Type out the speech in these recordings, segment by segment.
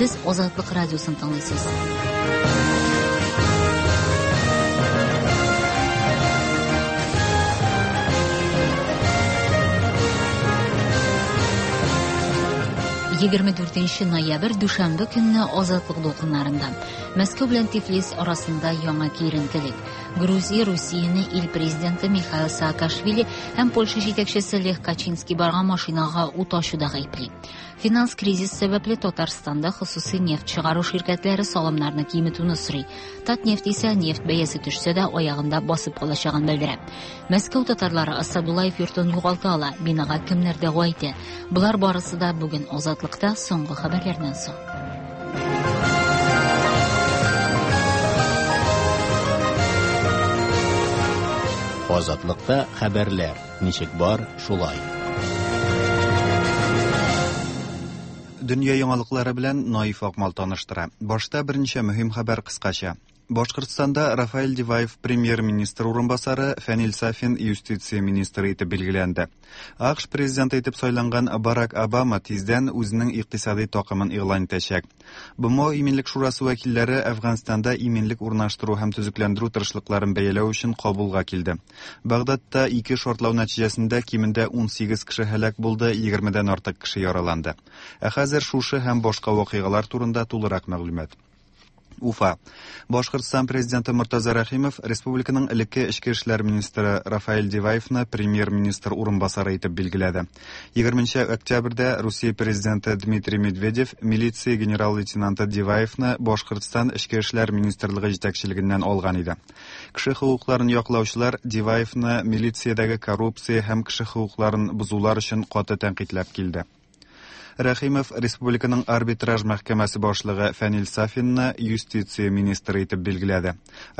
Сез Азатлык радиосын тыңлыйсыз. 24 ноябрь дүшәмбе көнне Азатлык дулкыннарында. Мәскәү белән Тифлис арасында яңа киеренкелек. Грузия Русияне ил президенты Михаил Саакашвили һәм Польша җитәкчесе Лех Качинский барган машинага ут ачуда гаепли. Финанс кризис сәбәпле Татарстанда хосусый нефть чыгару ширкәтләре салымнарны киметүне сорый. Татнефть исә нефть бәясе төшсә дә аягында басып калачагын белдерә. Мәскәү татарлары Асадуллаев йортын югалта ала, бинага кемнәр дәгъва итә? Болар барысы да бүген Азатлыкта соңгы хәбәрләрдән соң. Азатлыкта хәбәрләр ничек бар, шулай. Дөнья яңалыклары белән Наиф Акмал таныштыра. Башта берничә мөһим хәбәр кыскача. Башкортстанда Рафаэль Диваев премьер-министр урынбасары, Фәнил Сафин юстиция министры итеп билгеләнде. АКШ президенты итеп сайланган Барак Обама тиздән үзенең икътисади такымын игълан итәчәк. БМО Иминлек шурасы вәкилләре Әфганстанда иминлек урнаштыру һәм төзекләндерү тырышлыкларын бәяләү өчен Кабулга килде. Багдадта ике шартлау нәтиҗәсендә кимендә 18 кеше һәлак булды, 20-дән артык кеше яраланды. Ә хәзер шушы һәм башка вакыйгалар турында тулырак мәгълүмат. Уфа. Башкортстан президенты Мортаза Рәхимов республиканың элекке эчке эшләр министры Рафаэль Диваевны премьер-министр урынбасары итеп билгеләде. 20 октябрьдә Русия президенты Дмитрий Медведев милиция генерал-лейтенанты Диваевны Башкортстан эчке эшләр министрлыгы җитәкчелегеннән алган иде. Кеше хокукларын яклаучылар Диваевны милициядәге коррупция һәм кеше хокукларын бозулар өчен каты тәнкыйтьләп килде. Рәхимов республиканың арбитраж мәхкәмәсе башлыгы Фәнил Сафинны юстиция министры итеп билгеләде.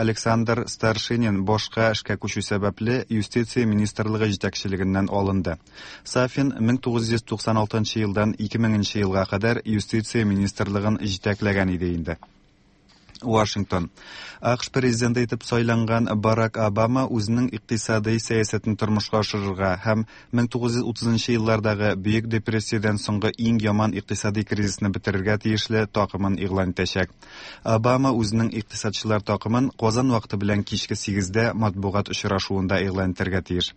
Александр Старшинин башка эшкә күчү сәбәпле юстиция министрлыгы җитәкчелегеннән алынды. Сафин 1996 елдан 2000 елга кадәр юстиция министрлыгын җитәкләгән иде инде. Вашингтон. АКШ президенты итеп сайланган Барак Обама үзенең икътисадый сәясәтен тормышка ашырырга һәм 1930 еллардагы Бөек депрессиядән соңгы иң яман икътисадый кризисны бетерергә тиешле такымын игълан итәчәк. Обама үзенең икътисадчылар такымын Казан вакыты белән кичке 8-дә матбугат очрашуында игълан итәргә тиеш.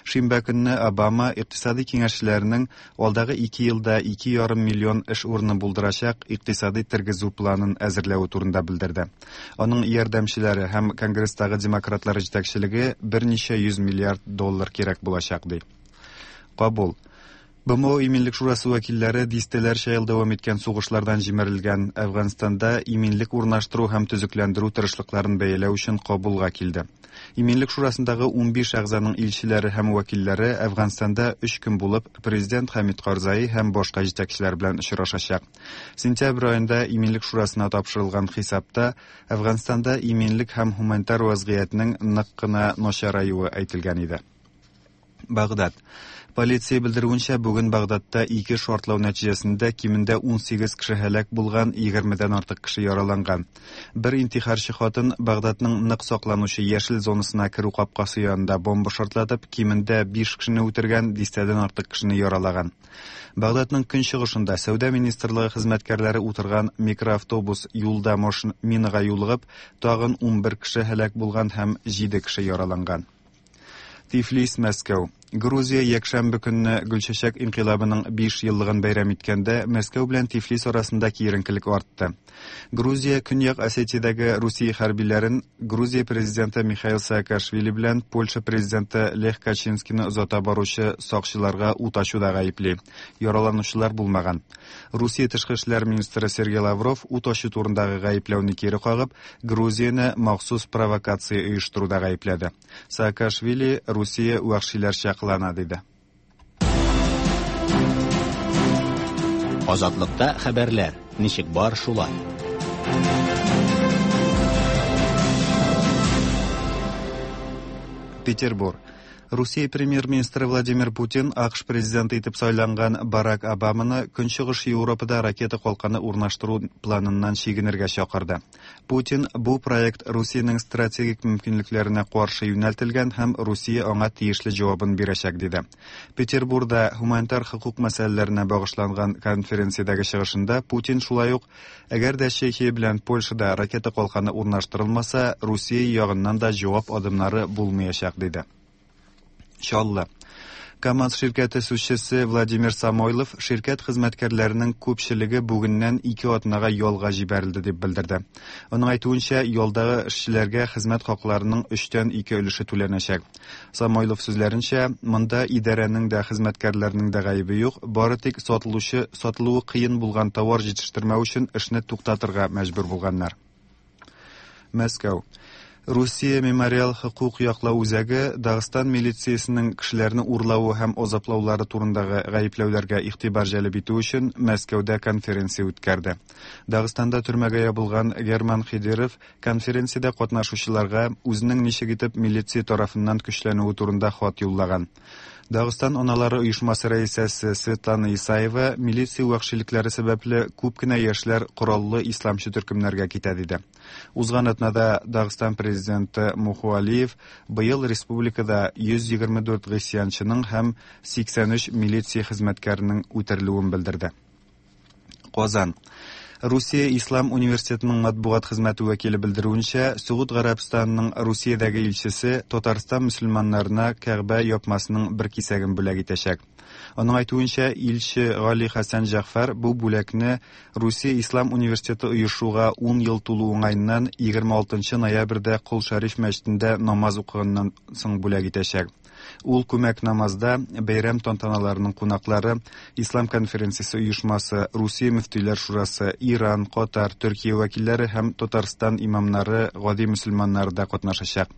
Шимбә көнне Обама икътисадый киңәшчеләренең алдагы ике елда 2,5 миллион эш урыны булдырачак икътисадый тергезү планын әзерләве турында белдерде. Аның ярдәмчеләре һәм Конгресстагы демократлар җитәкчелеге берничә йөз миллиард доллар кирәк булачак ди. Кабул. БМО Иминлек шурасы вәкилләре дистәләрчә ел дәвам иткән сугышлардан җимерелгән Әфганстанда иминлек урнаштыру һәм төзекләндерү тырышлыкларын бәяләү өчен Кабулга килде. Иминлек шурасындагы 15 әгъзаның илчеләре һәм вәкилләре Әфганстанда өч көн булып, президент Хәмид Карзаи һәм башка җитәкчеләр белән очрашачак. Сентябрь аенда Иминлек шурасына тапшырылган хисапта Әфганстанда иминлек һәм һуманитар вазгыятьнең нык кына начараюы әйтелгән иде. Багдад. Полиция белдерүенчә, бүген Багдадта ике шартлау нәтиҗәсендә кимендә 18 кеше һәлак булган, 20-дән артык кеше яраланган. Бер интихарчы хатын Багдадның нык сакланучы яшел зонасына керү капкасы янында бомба шартлатып, кимендә 5 кешене үтергән, дистәдән артык кешене яралаган. Багдадның көнчыгышында сәүдә министрлыгы хезмәткәрләре утырган микроавтобус юлда минага юлыгып, тагын 11 кеше һәлак булган һәм 7 кеше яраланган. Тифлис, Мәскәү. Грузия якшәмбе көнне Гөлчәчәк инкыйлабының 5 еллыгын бәйрәм иткәндә Мәскәү белән Тифлис арасында киеренкелек артты. Грузия Көньяк Осетиядәге Русия хәрбиләрен Грузия президенты Михаил Саакашвили белән Польша президенты Лех Качинскийны озата баручы сакчыларга ут ачуда гаепли. Яраланучылар булмаган. Русия тышкы эшләр министры Сергей Лавров ут ачу турындагы гаепләүне кире кагып, Грузияне махсус провокация оештыруда гаепләде. Саакашвили Русия вәхшиләрчә кылана диде. Азатлыкта хәбәрләр ничек бар шулай. Петербург. Русия премьер-министры Владимир Путин АКШ президенты итеп сайланган Барак Обаманы Көнчыгыш Европада ракета калканы урнаштыру планыннан чигенергә чакырды. Путин бу проект Русиянең стратегик мөмкинлекләренә каршы юнәлтелгән һәм Русия аңа тиешле җавабын бирәчәк диде. Петербурда һуманитар хокук мәсьәләләренә багышланган конференциядәге чыгышында Путин шулай ук әгәр дә Чехия белән Польшада ракета калканы урнаштырылмаса, Русия ягыннан да җавап адымнары булмаячак диде. Чаллы. КАМАЗ ширкәте сүзчесе Владимир Самойлов ширкәт хезмәткәрләренең күпчелеге бүгеннән 2 атнага ялга җибәрелде дип белдерде. Аның әйтүенчә, ялдагы эшчеләргә хезмәт хакларының 3-тән 2 өлеше түләнәчәк. Самойлов сүзләренчә, монда идарәнең дә, хезмәткәрләрнең дә гаебе юк, бары тик сатылучы сатылуы кыен булган товар җитештермәү өчен эшне туктатырга мәҗбүр булганнар. Мәскәү. Русия мемориал хокук яклау үзәге Дагыстан милициясенең кешеләрне урлавы һәм азаплаулары турындагы гаепләүләргә игътибар җәлеп итү өчен Мәскәүдә конференция үткәрде. Дагыстанда төрмәгә ябылган Герман Хидиров конференциядә катнашучыларга үзенең ничек итеп милиция тарафыннан көчләнүе турында хат юллаган. Дагыстан аналары оешмасы рәисәсе Светлана Исаева милиция вәхшилекләре сәбәпле күп кенә яшьләр кораллы исламчы төркемнәргә китә диде. Узган атнада Дагыстан президенты Муху Алиев быел республикада 124 гыйсьянчының һәм 83 милиция хезмәткәренең үтерелүен белдерде. Казан. Русия Ислам университетының матбугат хезмәте вәкиле белдерүенчә, Согуд Гарәбстанының Русиядәге илчесе Татарстан мөселманнарына Кәгъбә япмасының бер кисәген бүләк итәчәк. Аның әйтүенчә, илче Гали Хәсән Җәгъфәр бу бүләкне Русия Ислам университеты оешуга 10 ел тулу уңаеннан 26 ноябрьдә Кол Шәриф мәчетендә намаз укыганнан соң бүләк итәчәк. Ул күмәк намазда бәйрәм тантаналарының кунаклары, Ислам конференциясе оешмасы, Русия мөфтиләр шурасы, Иран, Катар, Төркия вәкилләре һәм Татарстан имамнары, гади мөселманнары да катнашачак.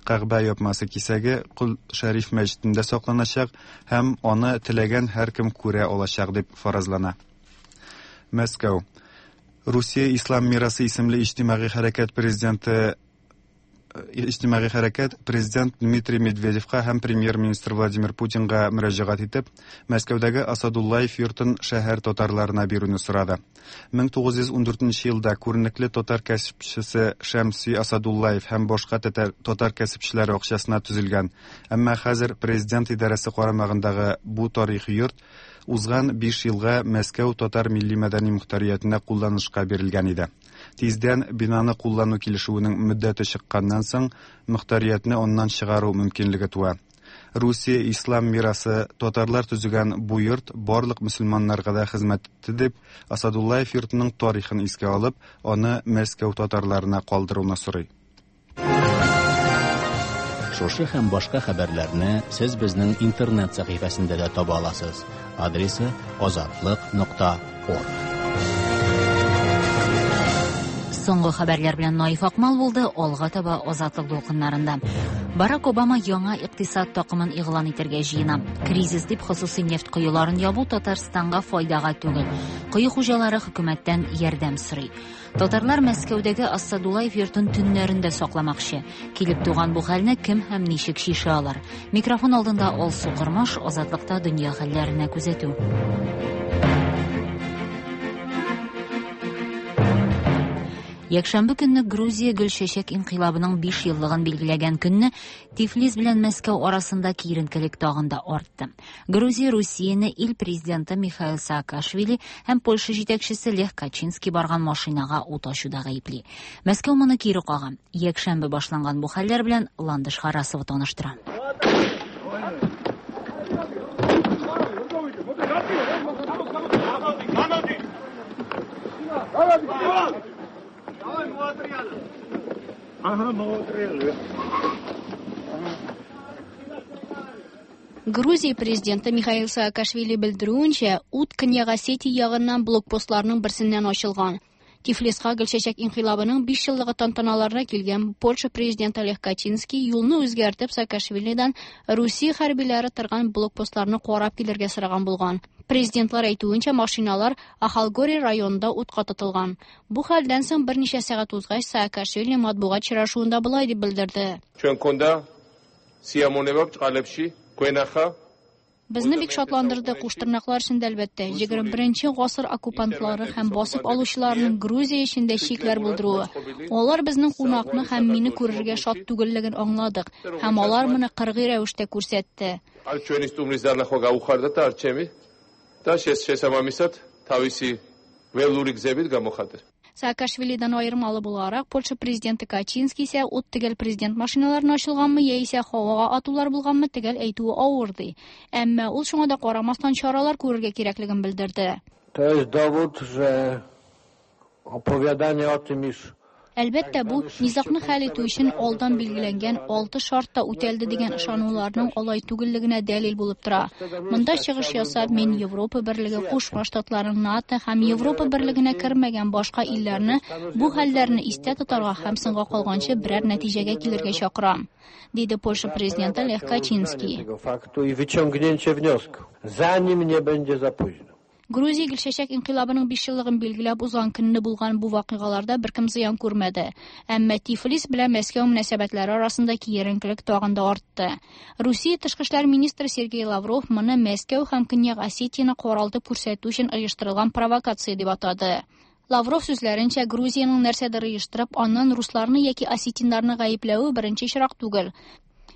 Кәгъбә япмасы кисәге Кол Шәриф мәчетендә сакланачак һәм аны теләгән һәркем күрә алачак дип фаразлана. Мәскәү. Русия Ислам мирасы исемле иҗтимагый хәрәкәт президенты иҗтимагый хәрәкәт президент Дмитрий Медведевка һәм премьер-министр Владимир Путинга мөрәҗәгать итеп, Мәскәүдәге Асадуллаев йортын шәһәр татарларына бирүне сорады. 1914 елда күренекле татар кәсепчесе Шәмси Асадуллаев һәм башка татар кәсепчеләре акчасына төзелгән, әмма хәзер президент идарәсе карамагындагы бу тарихи йорт узган 5 елга Мәскәү татар милли-мәдәни мохтариятенә кулланышка бирелгән иде. Тиздән бинаны куллану килешүенең мөддәте чыкканнан соң, мохтариятне аннан чыгару мөмкинлеге туа. Русия ислам мирасы татарлар төзегән бу йорт барлык мөселманнарга да хезмәт итте дип, Асадуллаев йортының тарихын искә алып, аны Мәскәү татарларына калдыруны сорый. Шушы һәм башка хәбәрләрне сез безнең интернет сәхифәсендә дә таба аласыз. Адресы azatliq.org. Соңгы хәбәрләр белән Наиф Акмал булды, алга таба Азатлык дулкыннарында. Барак Обама яңа икътисад такымын игълан итәргә җыена. Кризис дип хосусый нефть коеларын ябу Татарстанга файдага түгел. Кое хуҗалары хөкүмәттән ярдәм сорый. Татарлар Мәскәүдәге Асадуллаев йортын төннәрендә сакламакчы. Килеп туган бу хәлне кем һәм ничек шиша алар? Микрофон алдында Алсу Кырмаш, Азатлыкта дөнья хәлләренә күзәтү. Якшәмбе көнне Грузия Гөлчәчәк инкыйлабының 5 еллыгын билгеләгән көнне Тифлис белән Мәскәү арасында киеренкелек тагын да артты. Грузия Русияне ил президенты Михаил Саакашвили һәм Польша җитәкчесе Лех Качинский барган машинага ут ачуда гаепли. Мәскәү моны кире кага. Якшәмбе башланган бу хәлләр белән Ландыш Харасова таныштыра. Грузия президенты Михаил Саакашвили белдерүенчә, ут Көньяк Осетия ягыннан блокпостларның берсеннән ачылган. Тифлиска Гөлчәчәк инкыйлабының 5 еллыгы тантаналарына килгән Польша президенты Лех Качинский юлны үзгәртеп Саакашвилидан Русия хәрбиләре торган блокпостларны карап килергә сораган булган. Президентлар әйтүенчә, машиналар Ахалгори районында утка тотылган. Бу хәлдән соң берничә сәгать узгач, Саакашвили матбугат очрашуында болай дип белдерде. სიამოვნება ბრჭყალებში გვენახა. Безне бик шатландырды, куштырнаклар эчендә, әлбәттә, 21 гасыр оккупантлары һәм басып алучыларының Грузия эчендә чикләр булдыруы. Алар безнең кунакны һәм мине күрергә шат түгеллеген аңладык, һәм алар моны кыргый рәвештә күрсәтте. არ ჩვენი სტუმრის დანახვა გაუხარდათ და არ ჩემი და შესაბამისად თავისი ველური გზებით გამოხატეს. Саакашвилидан аермалы буларак, Польша президенты Качинский исә ут төгәл президент машиналарына ачылганмы яисә һавага атулар булганмы төгәл әйтүе авыр ди. Әмма ул шуңа да карамастан чаралар күрергә кирәклеген белдерде. To jest dowód, że opowiadanie o tym, iż Әлбәттә, бу низагны хәл итү өчен алдан билгеләнгән 6 шарт та үтәлде дигән ышануларның алай түгеллегенә дәлил булып тора. Монда чыгыш ясап, мин Европа Берлеге, Кушма Штатларын, НАТО һәм Европа Берлегенә кермәгән башка илләрне бу хәлләрне истә тотарга һәм соңга калганчы берәр нәтиҗәгә килергә чакырам, диде Польша президенты Лех Качинский. tego faktu i wyciągnięcie wniosku, zanim nie będzie za późno. Грузия Гөлчәчәк инкыйлабының 5 еллыгын билгеләп узган көнне булган бу вакыйгаларда беркем зыян күрмәде. Әмма Тифлис белән Мәскәү мөнәсәбәтләре арасында киеренкелек тагын да артты. Русия тышкы эшләр министры Сергей Лавров моны Мәскәү һәм Көньяк Осетияне каралтып күрсәтү өчен оештырылган провокация дип атады. Лавров сүзләренчә, Грузиянең нәрсәдер оештырып, аннан русларны яки осетиннарны гаепләве беренче очрак түгел.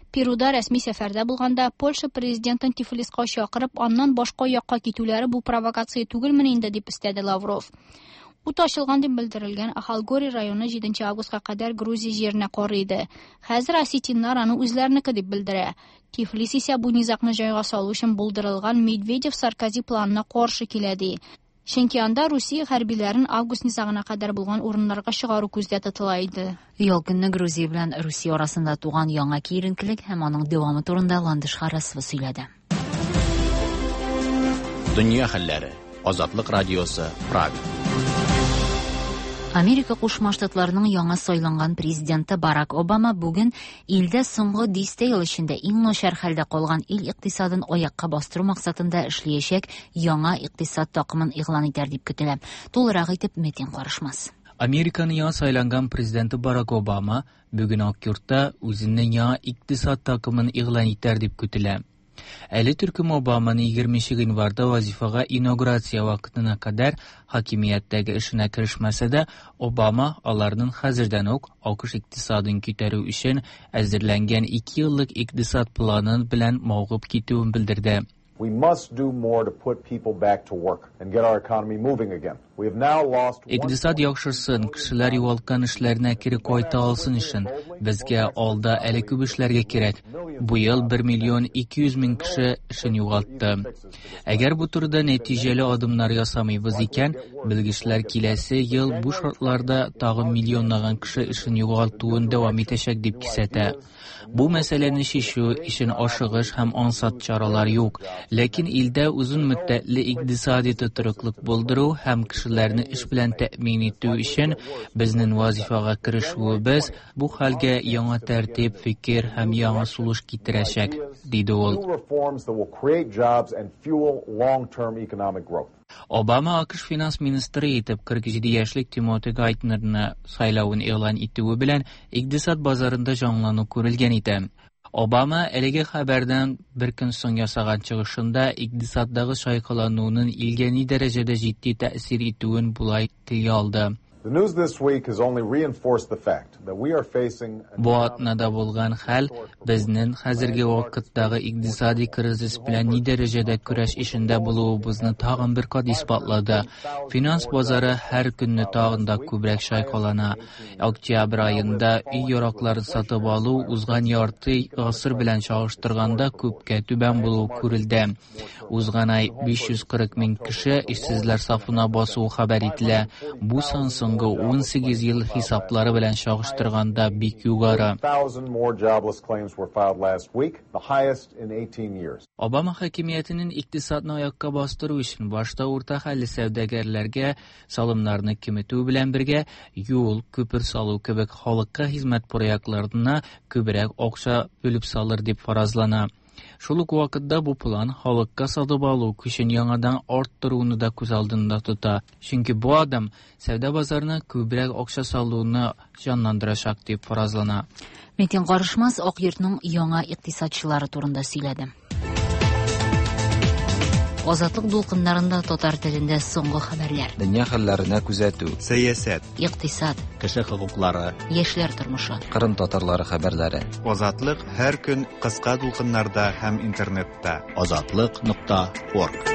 Перуда рәсми сәфәрдә булганда Польша президентын Тифлиска чакырып, аннан башка якка китүләре бу провокация түгелмени инде, дип өстәде Лавров. Ут ачылган дип белдерелгән Ахалгори районы 7 августка кадәр Грузия җиренә карый иде. Хәзер осетиннар аны үзләренеке дип белдерә. Тифлис исә бу низагны җайга салу өчен булдырылган Медведев-Саркози планына каршы килә ди. Чөнки анда Русия хәрбиләрен август низагына кадәр булган урыннарга чыгару күздә тотыла иде. Ял көнне Грузия белән Русия арасында туган яңа киеренкелек һәм аның дәвамы турында Ландыш Харасова сөйләде. Дөнья хәлләре. Азатлык радиосы, Прага. Америка Кушма Штатларының яңа сайланган президенты Барак Обама бүген илдә соңгы дистә ел эчендә иң начар хәлдә калган ил икътисадын аякка бастыру максатында эшләячәк яңа икътисад такымын игълан итәр дип көтелә. Тулырак итеп Метин карышмас. Американың яңа сайланган президенты Барак Обама бүген Ак йортта үзенең яңа икътисад такымын игълан итәр дип көтелә. Әле төркем Обаманы 20 гыйнварда вазифага инаугурация вакытына кадәр хакимияттәге эшенә керешмәсә дә, Обама аларның хәзердән үк АКШ икътисадын күтәрү өчен әзерләнгән 2 еллык икътисад планы белән мавыгып китүен белдерде. We must do more to put people back to work and get our economy moving again. We have now lost Икътисад яхшырсын, кешеләр югалткан эшләренә кире кайта алсын өчен безгә алда әле күп эшләргә кирәк. Бу ел 1 миллион 200 мең кеше эшен югалтты. Әгәр бу турыда нәтиҗәле адымнар ясамыйбыз икән, белгечләр киләсе ел бу шартларда тагын миллионлаган кеше эшен югалтуын дәвам итәчәк дип кисәтә. Бу мәсьәләне чишү өчен ашыгыч һәм ансат чаралар юк. Ләкин илдә озын мөддәтле икътисади тотрыклык булдыру һәм кешеләрне эш белән тәэмин итү өчен безнең вазифага керешүебез бу хәлгә яңа тәртип, фикер һәм яңа сулыш китерәчәк, диде ул. new reforms that will create jobs and fuel long-term economic growth. Обама АКШ финанс министры итеп 47 яшьлек Тимоти Гайтнерны сайлавын игълан итүе белән икътисад базарында җанлану күрелгән иде. Обама әлеге хәбәрдән бер көн соң ясаган чыгышында икътисаддагы чайкалануның илгә ни дәрәҗәдә җитди тәэсир итүен болай телгә алды. The news this week has only reinforced the fact that we are facing an Бу атнада булган хәл безнең хәзерге вакыттагы икътисади кризис белән ни дәрәҗәдә көрәш эшендә булуыбызны тагын бер кат исбатлады. Финанс базары һәр көнне тагын да күбрәк чайкалана. Октябрь аенда өй яракларын сатып алу узган ярты гасыр белән чагыштырганда күпкә түбән булуы күрелде. Узган ай 540 мең кеше эшсезләр сафына басуы хәбәр ителә. Бу сан соңгы 18 ел хисаплары белән чагыштырганда бик югары. 1,000 more jobless claims were filed last week, the highest in 18 years. Обама хакимиятенең икътисадны аякка бастыру өчен башта урта хәлле сәүдәгәрләргә салымнарны киметү белән бергә юл, күпер салу кебек халыкка хезмәт проектларына күбрәк акча бүлеп салыр дип фаразлана. Шул ук вакытта бу план халыкка сатып алу көчен яңадан арттыруны да күз алдында тота. Чөнки бу адым сәүдә базарына күбрәк акча салуны җанландырачак дип фаразлана. Метин Карышмас Ак йортның яңа икътисадчылары турында сөйләде. Азатлык дулкыннарында татар телендә соңгы хәбәрләр. Дөнья хәлләренә күзәтү. Сәясәт. Икътисад. Кеше хокуклары. Яшьләр тормышы. Кырым татарлары хәбәрләре. Азатлык һәр көн кыска дулкыннарда һәм интернетта. Азатлык.орг.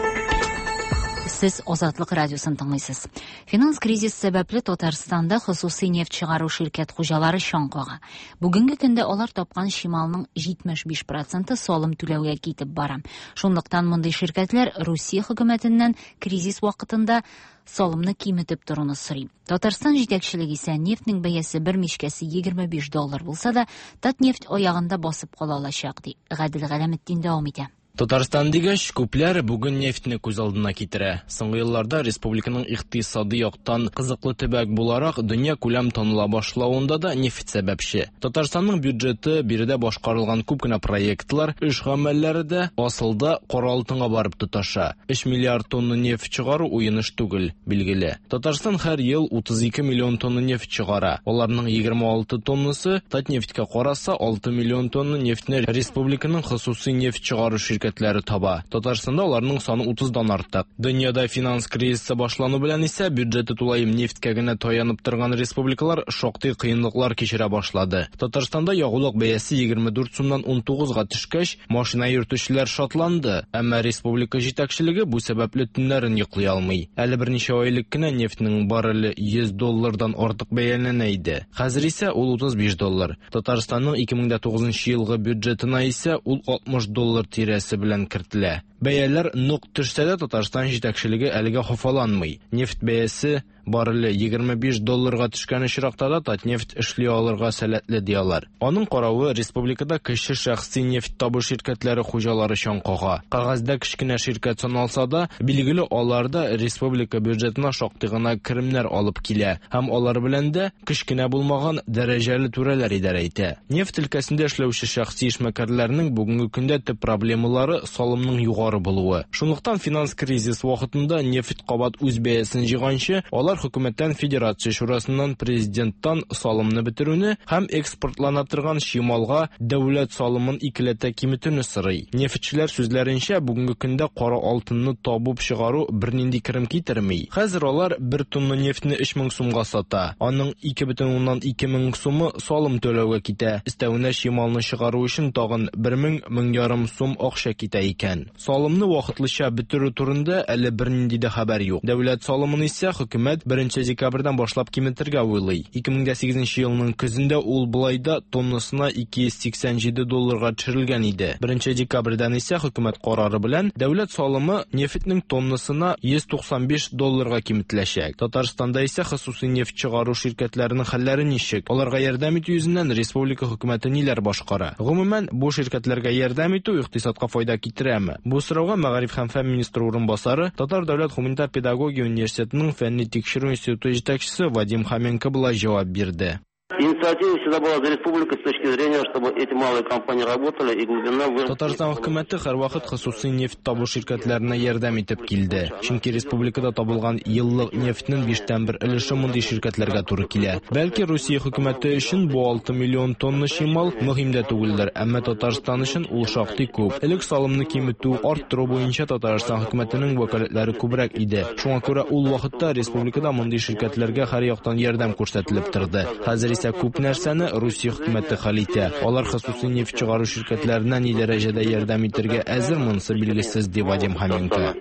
Сез Азатлык радиосын тыңлыйсыз. Финанс кризис сәбәпле Татарстанда хосусый нефть чыгару ширкәт хуҗалары чаң кага. Бүгенге көндә алар тапкан чималның 75 проценты салым түләүгә китеп бара. Шунлыктан мондый ширкәтләр Русия хөкүмәтеннән кризис вакытында салымны киметеп торуны сорый. Татарстан җитәкчелеге исә нефтьнең бәясе бер мичкәсе 25 доллар булса да, Татнефть аягында басып кала алачак, ди. Гадел Галәметдин дәвам итә. Татарстан дигәч, күпләр бүген нефтьне күз алдына китерә. Соңгы елларда республиканың икътисади яктан кызыклы төбәк буларак дөнья күләм таныла башлавында да нефть сәбәпче. Татарстанның бюджеты, биредә башкарылган күп кенә проектлар, эш гамәлләре дә асылда кара алтынга барып тоташа. 3 миллиард тонна нефть чыгару уен эш түгел, билгеле. Татарстан һәр ел 32 миллион тонна нефть чыгара. Аларның 26 тоннасы Татнефтькә караса, 6 миллион тонна нефтьне республиканың хосусый нефть чыгару ширкәтләре таба. Татарстанда аларның саны 30-дан артык. Дөньяда финанс кризисы башлану белән исә бюджеты тулаем нефтькә генә таянып торган республикалар шактый кыенлыклар кичерә башлады. Татарстанда ягулык бәясе 24 сумнан 19-га төшкәч, машина йөртүчеләр шатланды, әмма республика җитәкчелеге бу сәбәпле төннәрен йоклый алмый. Әле берничә ай элек кенә нефтьнең барреле 100 доллардан артык бәяләнә иде. Хәзер исә ул 35 доллар. Татарстанның 2009 елгы бюджетына исә ул 60 доллар тирәсе белән кертелә. Бәяләр нык төшсә дә Татарстан җитәкчелеге әлегә хафаланмый. Нефть бәясе барреле 25 долларга төшкән очракта да Татнефть эшли алырга сәләтле ди алар. Аның каравы республикада кече шәхси нефть табу ширкәтләре хуҗалары чаң кага. Кәгазьдә кечкенә ширкәт саналса да, билгеле алар да республика бюджетына шактый гына керемнәр алып килә һәм алар белән дә кечкенә булмаган дәрәҗәле түрәләр идарә итә. Нефть өлкәсендә эшләүче шәхси эшмәкәрләрнең бүгенге көндә төп проблемалары салымның югары булуы. Шунлыктан финанс кризис вакытында нефть кабат үз бәясен җыйганчы, алар хөкүмәттән, Федерация Шурасыннан, президенттан салымны бетерүне һәм экспортлана торган чималга дәүләт салымын икеләтә киметүне сорый. Нефтьчеләр сүзләренчә, бүгенге көндә кара алтынны табып чыгару бернинди керем китерми. Хәзер алар бер тонна нефтьне 3000 сумга сата. Аның 2,2 мең сумы салым түләүгә китә. Өстәвенә чималны чыгару өчен тагын 1000-1500 сум акча китә икән. Салымны вакытлыча бетерү турында әле бернинди дә хәбәр юк. Дәүләт салымын исә хөкүмәт 1 декабрьдән башлап киметергә уйлый. 2008 елның көзендә ул болай да тоннасына 287 долларга төшерелгән иде. 1 декабрьдән исә хөкүмәт карары белән дәүләт салымы нефтьнең тоннасына 195 долларга киметеләчәк. Татарстанда исә хосусый нефть чыгару ширкәтләренең хәлләре ничек? Аларга ярдәм итү йөзеннән республика хөкүмәте ниләр башкара? Гомумән, бу ширкәтләргә ярдәм итү икътисадка файда китерәме? Бу сорауга Мәгариф һәм фән министры урынбасары, Татар дәүләт гуманитар педагогия университетының фәнни тикшерү институты җитәкчесе Вадим Хоменко болай җавап бирде. Инициатива всегда была за республикой с точки зрения, чтобы эти малые компании работали и глубина выручки. Татарстан хөкүмәте һәрвакыт хосусый нефть табу ширкәтләренә ярдәм итеп килде. Чөнки республикада табылган еллык нефтьнең 1/5 өлеше мондый ширкәтләргә туры килә. Бәлки Русия хөкүмәте өчен бу 6 миллион тонна чимал мөһим дә түгелдер, әмма Татарстан өчен ул шактый күп. Элек салымны киметү, арттыру буенча Татарстан хөкүмәтенең вәкаләтләре күбрәк иде. Шуңа күрә ул вакытта республикада мондый ширкәтләргә һәр яктан ярдәм күрсәтелеп торды. Хәзер исә күп нәрсәне Русия хөкүмәте хәл итә. Алар хосусый нефть чыгару ширкәтләренә ни дәрәҗәдә ярдәм итәргә әзер, монысы билгесез, ди Вадим Хоменко.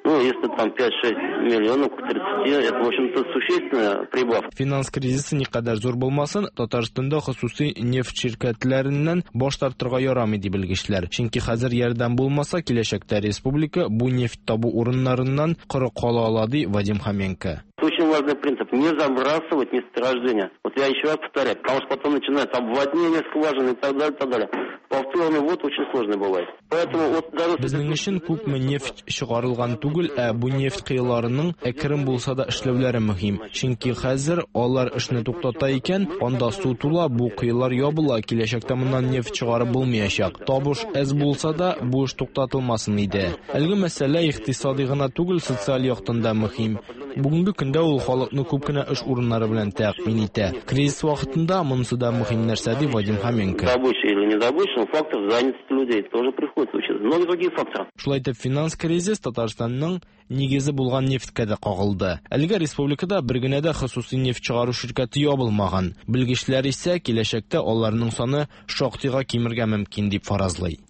Ну, если там 5-6 миллионов к 30, это, в общем-то, существенная прибавка. Финанс кризисы никадәр зур булмасын, Татарстанда хосусый нефть ширкәтләреннән баш тартырга ярамый, ди белгечләр. Чөнки хәзер ярдәм булмаса, киләчәктә республика бу нефть табу урыннарыннан коры кала ала, ди Вадим Хоменко. Очень важный принцип – не забрасывать месторождение. Вот я еще раз повторяю, потому что потом начинается обводнение скважин и так далее, так далее. Повторный ввод очень сложный бывает. Поэтому вот даже... Безнең өчен күпме нефть чыгарылган түгел, ә бу нефть коеларының әкрен булса да эшләүләре мөһим. Чөнки хәзер алар эшне туктата икән, анда су тула, бу коелар ябыла, киләчәктә моннан нефть чыгарып булмаячак. Табыш әз булса да, бу эш туктатылмасын иде. Әлеге мәсьәлә икътисади гына түгел, социаль яктан да мөһим. Бүгенге көндә ул халыкны күп кенә эш урыннары белән тәэмин итә. Кризис вакытында монысы да мөһим нәрсә, ди Вадим Хоменко. Добыча или не добыча, но фактор занятости людей тоже приходится учитывать. Многие другие факторы. Шулай итеп, финанс кризис Татарстанның нигезе булган нефтькә дә кагылды. Әлегә республикада бер генә дә хосусый нефть чыгару ширкәте ябылмаган. Белгечләр исә киләчәктә аларның саны шактыйга кимергә мөмкин дип фаразлый.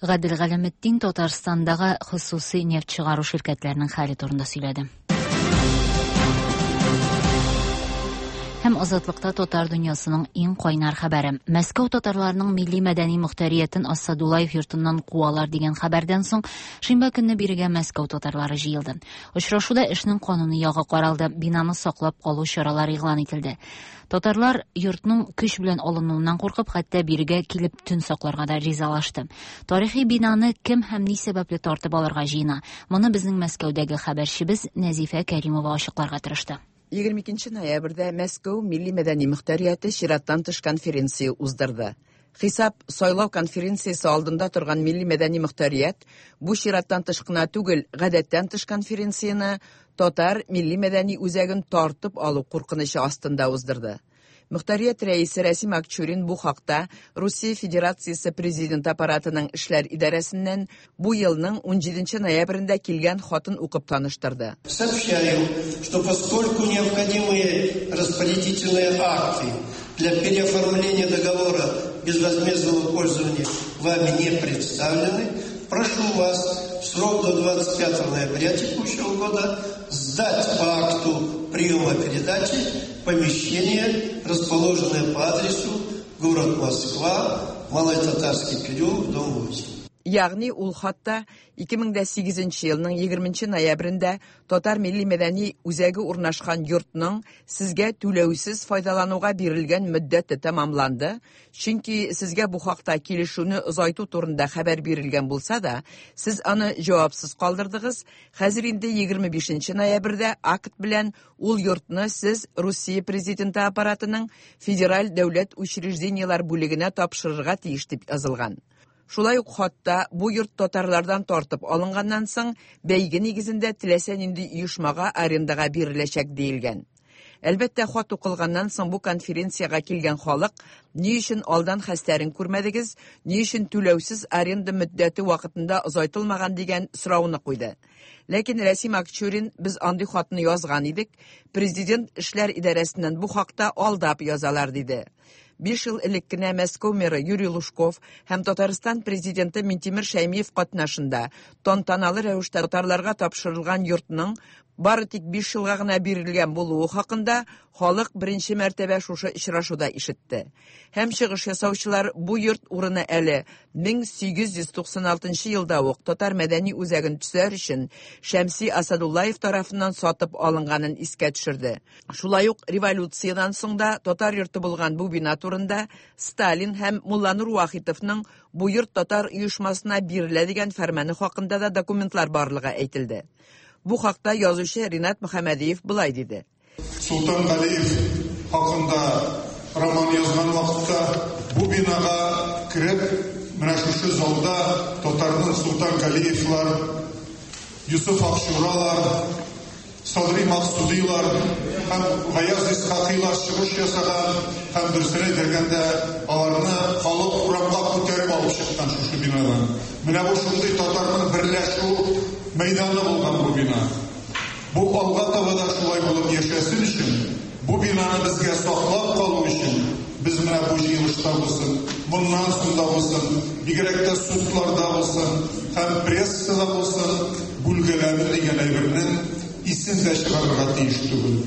Гадел Галәметдин Татарстандагы хосусый нефть чыгару ширкәтләренең хәле турында сөйләде. Һәм Азатлыкта татар дөньясының иң кайнар хәбәре. Мәскәү татарларының милли мәдәни мөхтәриятен Асадуллаев йортыннан куалар дигән хәбәрдән соң шимбә көнне бирегә Мәскәү татарлары җыелды. Очрашуда эшнең кануни ягы каралды, бинаны саклап калу чаралары игълан ителде. Татарлар йортның көч белән алынуыннан куркып, хәтта бирегә килеп төн сакларга да ризалашты. Тарихи бинаны кем һәм ни сәбәпле тартып алырга җыена? Моны безнең Мәскәүдәге хәбәрчебез Нәзифә Кәримова ачыкларга тырышты. 22 ноябрьдә Мәскәү милли мәдәни мөхтәрияте чираттан тыш конференция уздырды. Хисап сайлау конференциясе алдында торган милли мәдәни мөхтәрият бу чираттан тыш кына түгел, гадәттән тыш конференцияне татар милли мәдәни үзәген тартып алу куркынычы астында уздырды. Мөхтәрият рәисе Рәсим Акчурин бу хакта Русия Федерациясе президент аппаратының эшләр идарәсеннән бу елның 17 ноябрендә килгән хатын укып таныштырды. Сообщаю, что поскольку необходимые распорядительные акты для переоформления договора безвозмездного пользования вами не представлены, прошу вас в срок до 25 ноября текущего года сдать по акту приема передачи помещение, расположенное по адресу город Москва, Малый Татарский переулок, дом 8. Ягъни ул хатта 2008 елның 20 ноябрендә Татар милли мәдәни үзәге урнашкан йортның сезгә түләүсез файдалануга бирелгән мөддәте тәмамланды, чөнки сезгә бу хакта килешүне озайту турында хәбәр бирелгән булса да, сез аны җавапсыз калдырдыгыз. Хәзер инде 25 ноябрьдә акт белән ул йортны сез Русия президенты аппаратының федераль дәүләт учреждениеләр бүлегенә тапшырырга тиеш дип язылган. Шулай ук хатта бу йорт татарлардан тартып алынганнан соң бәйге нигезендә теләсә нинди оешмага арендага биреләчәк диелгән. Әлбәттә, хат укылганнан соң бу конференциягә килгән халык ни өчен алдан хәстәрен күрмәдегез, ни өчен түләүсез аренда мөддәте вакытында озайтылмаган дигән сорауны куйды. Ләкин Рәсим Акчурин без андый хатны язган идек, президент эшләр идарәсеннән бу хакта алдап язалар диде. 5 ел элек кенә Мәскәү мэры Юрий Лужков һәм Татарстан президенты Минтимер Шәймиев катнашында тантаналы рәвештә татарларга тапшырылган йортның бары тик 5 елга гына бирелгән булуы хакында халык беренче мәртәбә шушы очрашуда ишетте. Һәм чыгыш ясаучылар бу йорт урыны әле 1896 елда ук татар мәдәни үзәген төзәр өчен Шәмси Асадуллаев тарафыннан сатып алынганын искә төшерде. Шулай ук революциядән соң да татар йорты булган бу бина турында Сталин һәм Мулланур Вахитовның бу йорт татар оешмасына бирелә дигән фәрманы хакында да документлар барлыгы әйтелде. Бу хакта язучы Ринат Мөхәммәдиев болай диде. Султан Галиев хакында роман язган вакытта бу бинага кереп, менә шушы залда татарның Султан Галиевлар, Юсуф Акчуралар, Садри Максудилар һәм Гаяз Исхакыйлар чыгыш ясаган һәм дөресен әйтергәндә аларны халык урамга күтәреп алып чыккан шушы бинадан. Менә бу шундый татарның берләшү мәйданы булган бу бина. Бу алга таба да шулай булып яшәсен өчен, бу бинаны безгә саклап калу өчен без менә бу җыелышта булсын, моннан соң да булсын, бигрәк тә судларда булсын һәм прессада булсын, бүлгәләнү дигән әйбернең исен дә чыгарырга тиеш түгел.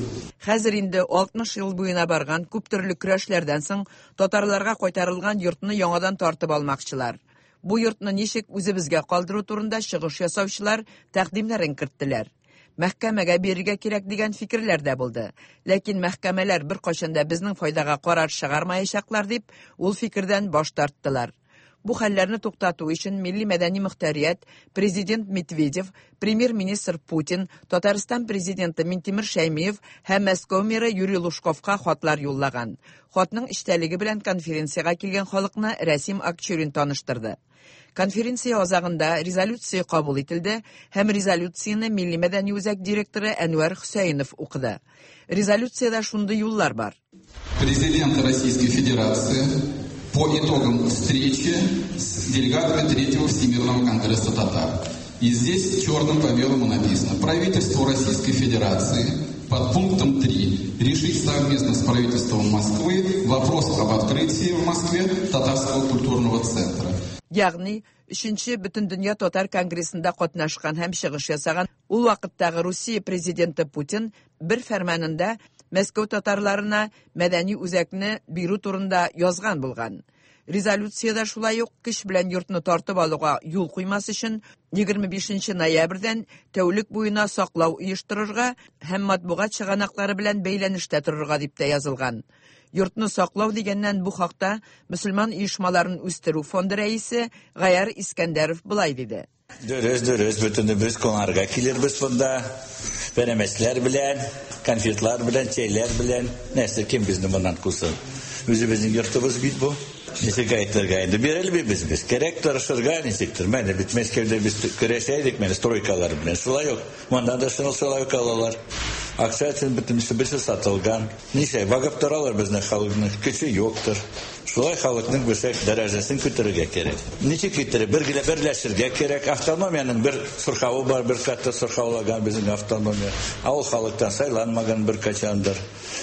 Хәзер инде 60 ел буена барган күп төрле көрәшләрдән соң татарларга кайтарылган йортны яңадан тартып алмакчылар. Бу йортны ничек үзебезгә калдыру турында чыгыш ясаучылар тәкъдимнәрен керттеләр. Мәхкәмәгә бирергә кирәк дигән фикерләр дә булды. Ләкин мәхкәмәләр беркайчан да безнең файдага карар чыгармаячаклар дип, ул фикердән баш тарттылар. Бу хәлләрне туктату өчен Милли мәдәни мөхтәрият президент Медведев, премьер-министр Путин, Татарстан президенты Минтимер Шәймиев һәм Мәскәү мэры Юрий Лужковка хатлар юллаган. Хатның эчтәлеге белән конференциягә килгән халыкны Рәсим Акчурин таныштырды. Конференция азагында резолюция кабул ителде һәм резолюцияне Милли мәдәни үзәк директоры Әнвәр Хөсәенов укыды. Резолюциядә шундый юллар бар. Президент Российской Федерации по итогам встречи с делегатами Третьего Всемирного конгресса татар. И здесь черным по белому написано: Правительству Российской Федерации под пунктом 3 решить совместно с правительством Москвы вопрос об открытии в Москве татарского культурного центра. Ягъни, Өченче Бөтендөнья татар конгрессында катнашкан һәм чыгыш ясаган ул вакыттагы Русия президенты Путин бер фәрманында Мәскәү татарларына мәдәни үзәкне бирү турында язган булган. Резолюциядә шулай ук көч белән йортны тартып алуга юл куймас өчен 25 нче ноябрьдән тәүлек буена саклау оештырырга һәм матбугат чыганаклары белән бәйләнештә торырга дип тә язылган. Йортны саклау дигәннән бу хакта Мөселман оешмаларын үстерү фонды рәисе Гаяр Искәндәров болай диде. Дөрес, дөрес, бөтенебез кунарга килербез монда. Пәрәмәчләр белән, конфетлар белән, чәйләр белән. Нәрсә, кем безне моннан кусын? Үзебезнең йортыбыз бит бу. Ничек әйтергә инде, бирелмибез без. Кирәк тырышырга ничектер. Менә бит Мәскәүдә без көрәшә идек, менә стройкалар белән. Шулай ук монда да шулай ук алалар. Акча өчен бөтенесе берсе сатылган. Ничә багып торалар безнең халыкның көче юктыр. Шулай халыкның берсәк дәрәҗәсен күтәрергә кирәк. Ничек иттереп бергә берләшергә кирәк. Автономиянең бер сырхавы бар, бер катта сырхаулаган безнең автономия. Ә ул халыктан сайланмаган бер качандыр.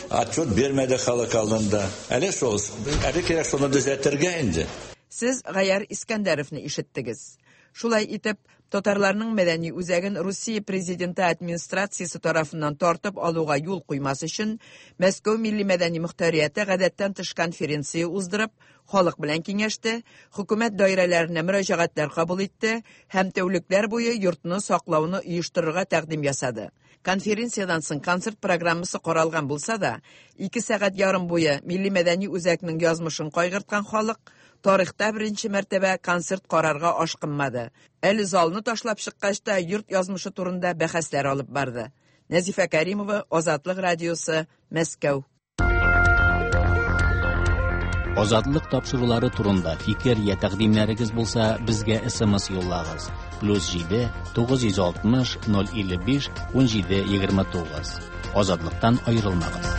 Отчет бирмәде халык алдында. Әле шул, әле кирәк шуны төзәтергә инде. Сез Гаяр Искәндәровны ишеттегез. Шулай итеп, татарларның мәдәни үзәген Русия президенты администрациясе тарафыннан тартып алуга юл куймас өчен, Мәскәү милли-мәдәни мөхтәрияте гадәттән тыш конференция уздырып, халык белән киңәште, хөкүмәт даирәләренә мөрәҗәгатьләр кабул итте һәм тәүлекләр буе йортны саклауны оештырырга тәкъдим ясады. Конференциядән соң концерт программасы каралган булса да, ике сәгать ярым буе милли-мәдәни үзәкнең язмышын кайгырткан халык тарихта беренче мәртәбә концерт карарга ашкынмады. Әле залны ташлап чыккач та йорт язмышы турында бәхәсләр алып барды. Нәзифә Кәримова, Азатлык радиосы, Мәскәү. Азатлык тапшырулары турында фикер я тәкъдимнәрегез булса, безгә SMS юллагыз. Плюс 7 960 055 17 29. Азатлыктан аерылмагыз.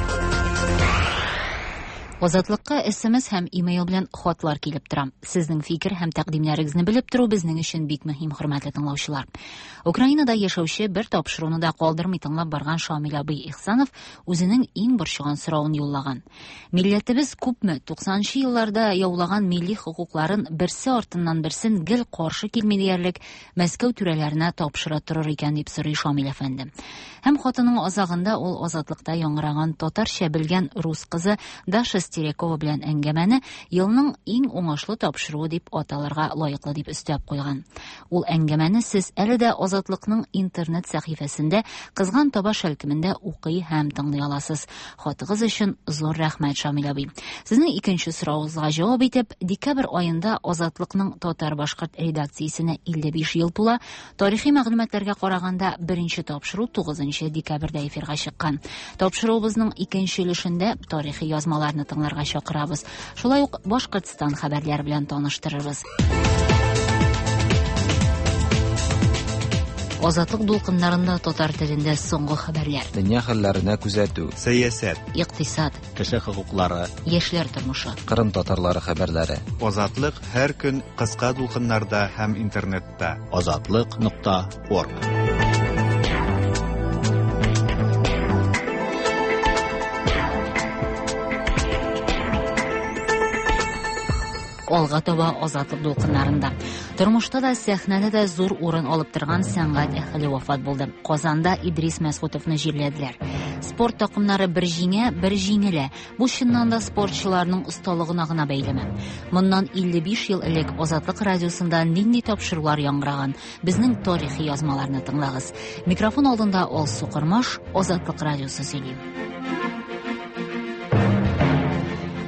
Азатлыкка SMS һәм имейл белән хатлар килеп тора. Сезнең фикер һәм тәкъдимнәрегезне белеп тору безнең өчен бик мөһим, хөрмәтле тыңлаучылар. Украинада яшәүче бер тапшыруны да калдырмый тыңлап барган Шамил абый Ихсанов үзенең иң борчыган соравын юллаган. Милләтебез күпме 90 нчы елларда яулаган милли хокукларын берсе артыннан берсен гел каршы килми диярлек Мәскәү түрәләренә тапшыра торыр икән дип сорый Шамил әфәнде. Һәм хатының азагында ул Азатлыкта яңгыраган татарча белгән рус кызы Даша Стерякова белән әңгәмәне елның иң уңышлы тапшыруы дип аталырга лаеклы дип өстәп куйган. Ул әңгәмәне сез әле дә Азатлыкның интернет сәхифәсендә Кызган таба шәлкемендә укый һәм тыңлый аласыз. Хатыгыз өчен зур рәхмәт, Шамил абый. Сезнең икенче соравыгызга җавап итеп, декабрь аенда Азатлыкның татар-башкорт редакциясенә 55 ел тула. Тарихи мәгълүматларга караганда, беренче тапшыру 9 декабрьдә эфирга чыккан. Тапшыруыбызның икенче өлешендә тарихи язмаларны тыңларга чакырабыз. Шулай ук Башкортстан хәбәрләре белән таныштырырбыз. Азатлык дулкыннарында татар телендә соңгы хәбәрләр. Дөнья хәлләренә күзәтү. Сәясәт. Икътисад. Кеше хокуклары. Яшьләр тормышы. Кырым татарлары хәбәрләре. Азатлык һәр көн кыска дулкыннарда һәм интернетта. Азатлык нокта орг. Алга таба Азатлык дулкыннарында. Тормышта да, сәхнәдә дә зур урын алып торган сәнгать әһеле вафат булды. Казанда Идрис Мәсгутовны җирләделәр. Спорт такымнары бер җиңә, бер җиңелә. Бу чыннан да спортчыларның осталыгына гына бәйлеме? Моннан 55 ел элек Азатлык радиосында нинди тапшырулар яңгыраган? Безнең тарихи язмаларны тыңлагыз. Микрофон алдында Алсу Кормаш, Азатлык радиосы сөйли.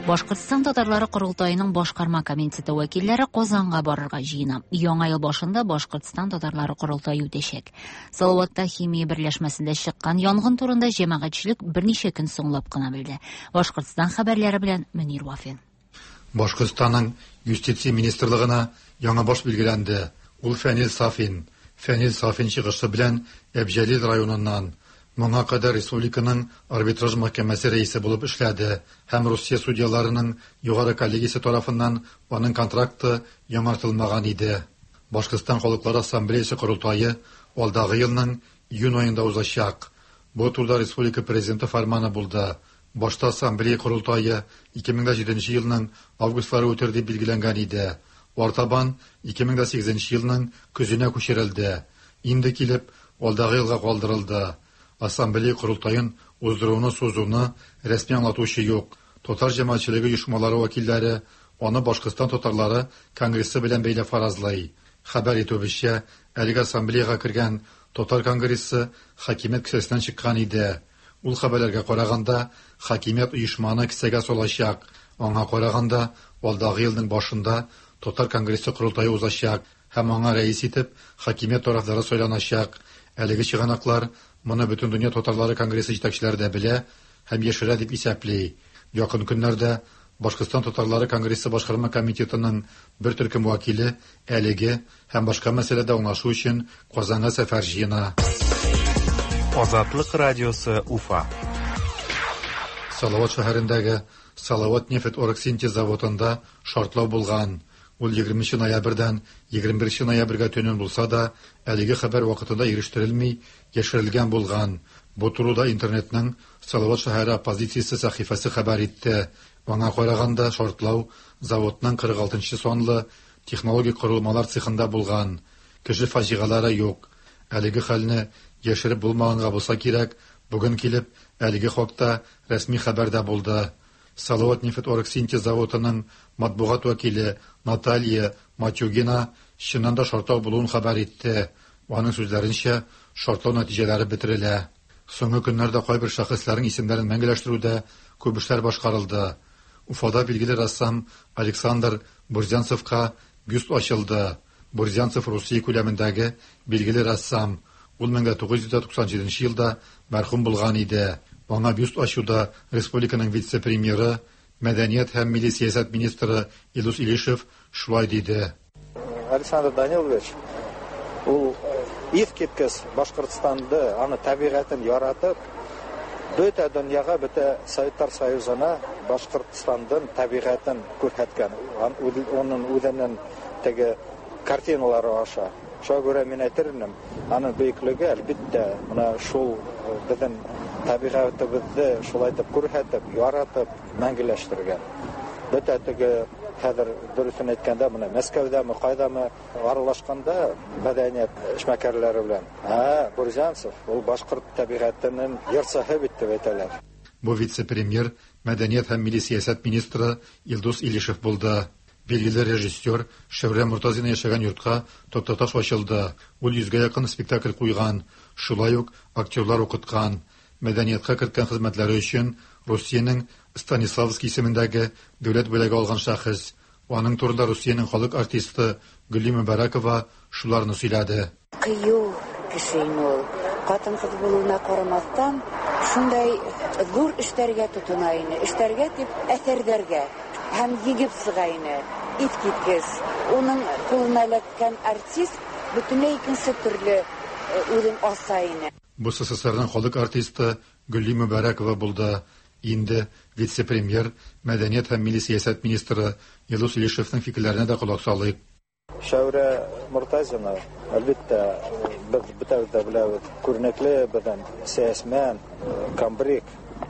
Башкортстан татарлары корылтаеның башкарма комитеты вәкилләре Казанга барырга җыена. Яңа ел башында Башкортстан татарлары корылтае үтәчәк. Салаватта химия берләшмәсендә чыккан янгын турында җәмәгатьчелек берничә көн соңлап кына белде. Башкортстан хәбәрләре белән Мөнир Вафин. Башкортстанның Юстиция министрлыгына яңа баш билгеләнде. Ул Фәнил Сафин. Фәнил Сафин чыгышы белән Әбҗәлил районыннан. Моңа кадәр республиканың арбитраж мәхкәмәсе рәисе булып эшләде һәм Русия судьяларының югары коллегиясе тарафыннан аның контракты яңартылмаган иде. Башкортстан халыклары ассамблеясы корылтае алдагы елның июнь аенда узачак. Бу турыда республика президенты фәрманы булды. Башта ассамблея корылтае 2007 елның августлары үтер дип билгеләнгән иде. Артабан 2008 елның көзенә күчерелде. Инде килеп, алдагы елга калдырылды. Ассамблея корылтаен уздыруны сузуны рәсми аңлатучы юк. Татар җәмәгатьчелеге оешмалары вәкилләре аны Башкортстан татарлары конгрессы белән бәйләп фаразлый. Хәбәр итүебезчә, әлеге ассамблеяга кергән татар конгрессы хакимият кесәсеннән чыккан иде. Ул хәбәрләргә караганда, хакимият оешманы кесәгә салачак. Аңа караганда, алдагы елның башында татар конгрессы корылтае узачак һәм аңа рәис итеп хакимият тарафдары сайланачак. Әлеге чыганаклар моны Бөтендөнья татарлары конгрессы җитәкчеләре дә белә һәм яшерә дип исәпли. Якын көннәрдә Башкортстан татарлары конгрессы башкарма комитетының бер төркем вәкиле әлеге һәм башка мәсьәләдә аңлашу өчен Казанга сәфәр җыена. Азатлык радиосы Уфа. Салават шәһәрендәге Салават нефть оргсинтез заводында шартлау булган. Ул 20 ноябрьдән 21 ноябрьгә төнен булса да, әлеге хәбәр вакытында ирештерелми, яшерелгән булган. Бу турыда интернетның Салават шәһәре оппозициясе сәхифәсе хәбәр итте. Аңа караганда шартлау заводның 46 санлы технологик корылмалар цехында булган. Кеше фаҗигаләре юк. Әлеге хәлне яшереп булмаганга булса кирәк, бүген килеп әлеге хакта рәсми хәбәр дә булды. Салават нефть оргсинтез заводының матбугат вәкиле Наталья Матюгина чыннан да шартлау булуын хәбәр итте. Аның сүзләренчә, шартлау нәтиҗәләре бетерелә. Соңгы көннәрдә кайбер шәхесләрнең исемнәрен мәңгеләштерүдә күп эшләр башкарылды. Уфада билгеле рәссам Александр Бурзянцевка бюст ачылды. Бурзянцев Русия күләмендәге билгеле рәссам. Ул 1997 елда мәрхүм булган иде. Аңа бюст ачуда республиканың вице-премьеры, мәдәният һәм милли сәясәт министры Илдус Илишев шулай диде. Александр Данилович ул искиткеч Башкортстанды, аны табигатен яратып, бөтә дөньяга, бөтә Советлар Союзына Башкортстандын табигатен күрһәткән. Оның үзенең теге картиналары аша. Шуңа күрә мин әйтер идем, аның бөеклеге әлбиттә менә шул безнең табигатебезне шулай итеп күрһәтеп, яратып, мәңгеләштергән. Бөтә теге хәзер дөресен әйткәндә, менә Мәскәүдәме, кайдамы аралашканда мәдәният эшмәкәрләре белән, ә Бурзянцев ул башкорт табигатенең йырчыһы бит дип әйтәләр. Бу вице-премьер, мәдәният һәм милли сәясәт министры Илдус Илишев булды. Билгеле режиссер Шәүрә Мортазина яшәгән йортка токтаташ ачылды. Ул 100гә якын спектакль куйган, шулай ук актерлар укыткан. Мәдәниятка керткән хезмәтләре өчен Русиянең Станиславский исемендәге дәүләт бүләге алган шәхес. Аның турында Русиянең халык артисты Гөлли Мөбәрәкова шуларны сөйләде. Кыю кеше инде ул. Хатын-кыз булуына карамастан, шундай зур эшләргә тотына ине. Эшләргә дип әсәрләргә һәм егеп чыга ине. Искиткеч. Уның кулына эләккән артист бөтенләй икенче төрле үзен аса ине. Бу СССРның халык артисты Гөлли Мөбәрәкова булды. Инде вице-премьер, мәдәният һәм милли сәясәт министры Илдус Илишевның фикерләренә дә колак салыйк. Шәүрә Мортазина, әлбиттә, без бөтәбез дә беләбез, күренекле безнең сәясмән, комбриг,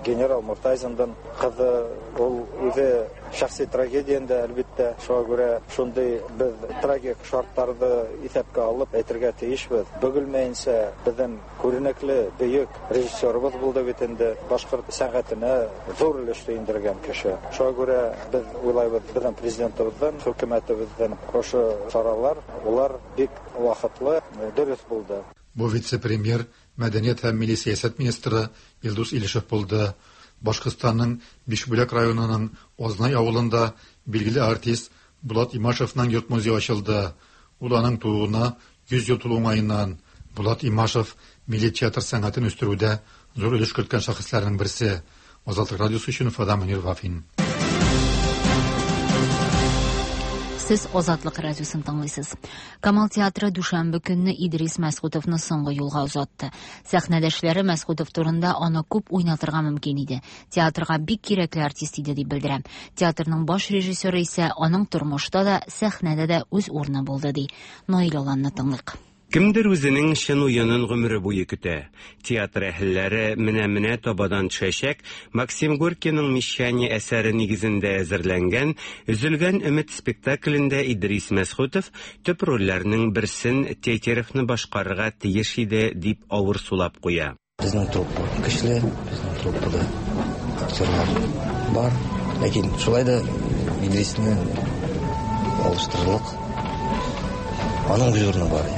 генерал Мортазинның кызы, ул үзе шәхси трагедияндә, әлбиттә, шуңа күрә шундый без трагик шартларны исәпкә алып әйтергә тиешбез. Бөгелмәенчә безнең күренекле бөек режиссерыбыз булды бит инде, башкорт сәнгатенә зур өлеш индергән кеше. Шуңа күрә без уйлайбыз, безнең президентыбыздан, хөкүмәтебездән ошо чаралар, улар бик вакытлы, дөрес булды. Бу вице-премьер, мәдәният һәм милли сәясәт министры Илдус Илишев булды. Башкортстанның Бишбүләк районының Азнай авылында билгеле артист Булат Имашевның йорт музее ачылды. Ул аның тууына 100 ел тулу уңаеннан. Булат Имашев милли театр сәнгатен үстерүдә зур өлеш керткән шәхесләрнең берсе. Азатлык радиосы өчен Уфадан Мөнир Вафин. Сез Азатлык радиосын тыңлыйсыз. Камал театры дүшәмбе көнне Идрис Мәсхүтовны соңгы юлга озатты. Сәхнәдәшләре Мәсхүтов турында аны күп уйнатырга мөмкин иде. Театрга бик кирәкле артист иде дип белдерә. Театрның баш режиссеры исә аның тормышта да, сәхнәдә дә үз урыны булды ди. Наил Аланны тыңлыйк. Кемдер үзенең чын уенын гомере буе көтә. Театр әһелләре менә-менә табадан төшәчәк Максим Горькийның Мещане әсәре нигезендә әзерләнгән Өзелгән өмет спектаклендә Идрис Мәсхүтов төп рольләрнең берсен Тетеревны башкарырга тиеш иде, дип авыр сулап куя. Безнең труппа көчле, безнең труппада актерлар бар. Ләкин шулай да Идрисне алыштырырлык аның үз урыны бар.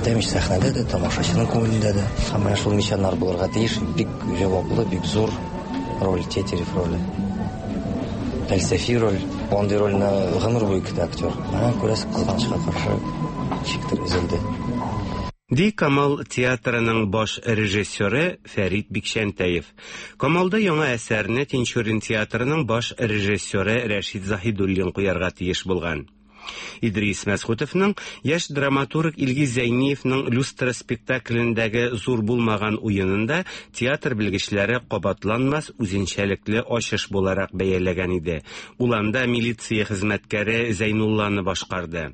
Әйтәм ич, сәхнәдә дә, тамашачының күңелендә дә. Һәм менә шул мещаннар булырга тиеш, бик җаваплы, бик зур роль, Тетерев роле. Фәлсәфи роль. Андый рольне гомер буе көтә актер. Менә күрәсез, кызганычка каршы, ничектер өзелде. Ди Камал театрының баш режиссеры Фәрит Бикчәнтәев. Камалда яңа әсәрне Тинчурин театрының баш режиссеры Рәшит Заһидуллин куярга тиеш булган. Идрис Мәсхүтовның яшь драматург Илгиз Зәйниевның Люстра спектаклендәге зур булмаган уенын да театр белгечләре кабатланмас үзенчәлекле ачыш буларак бәяләгән иде. Ул анда милиция хезмәткәре Зәйнулланы башкарды.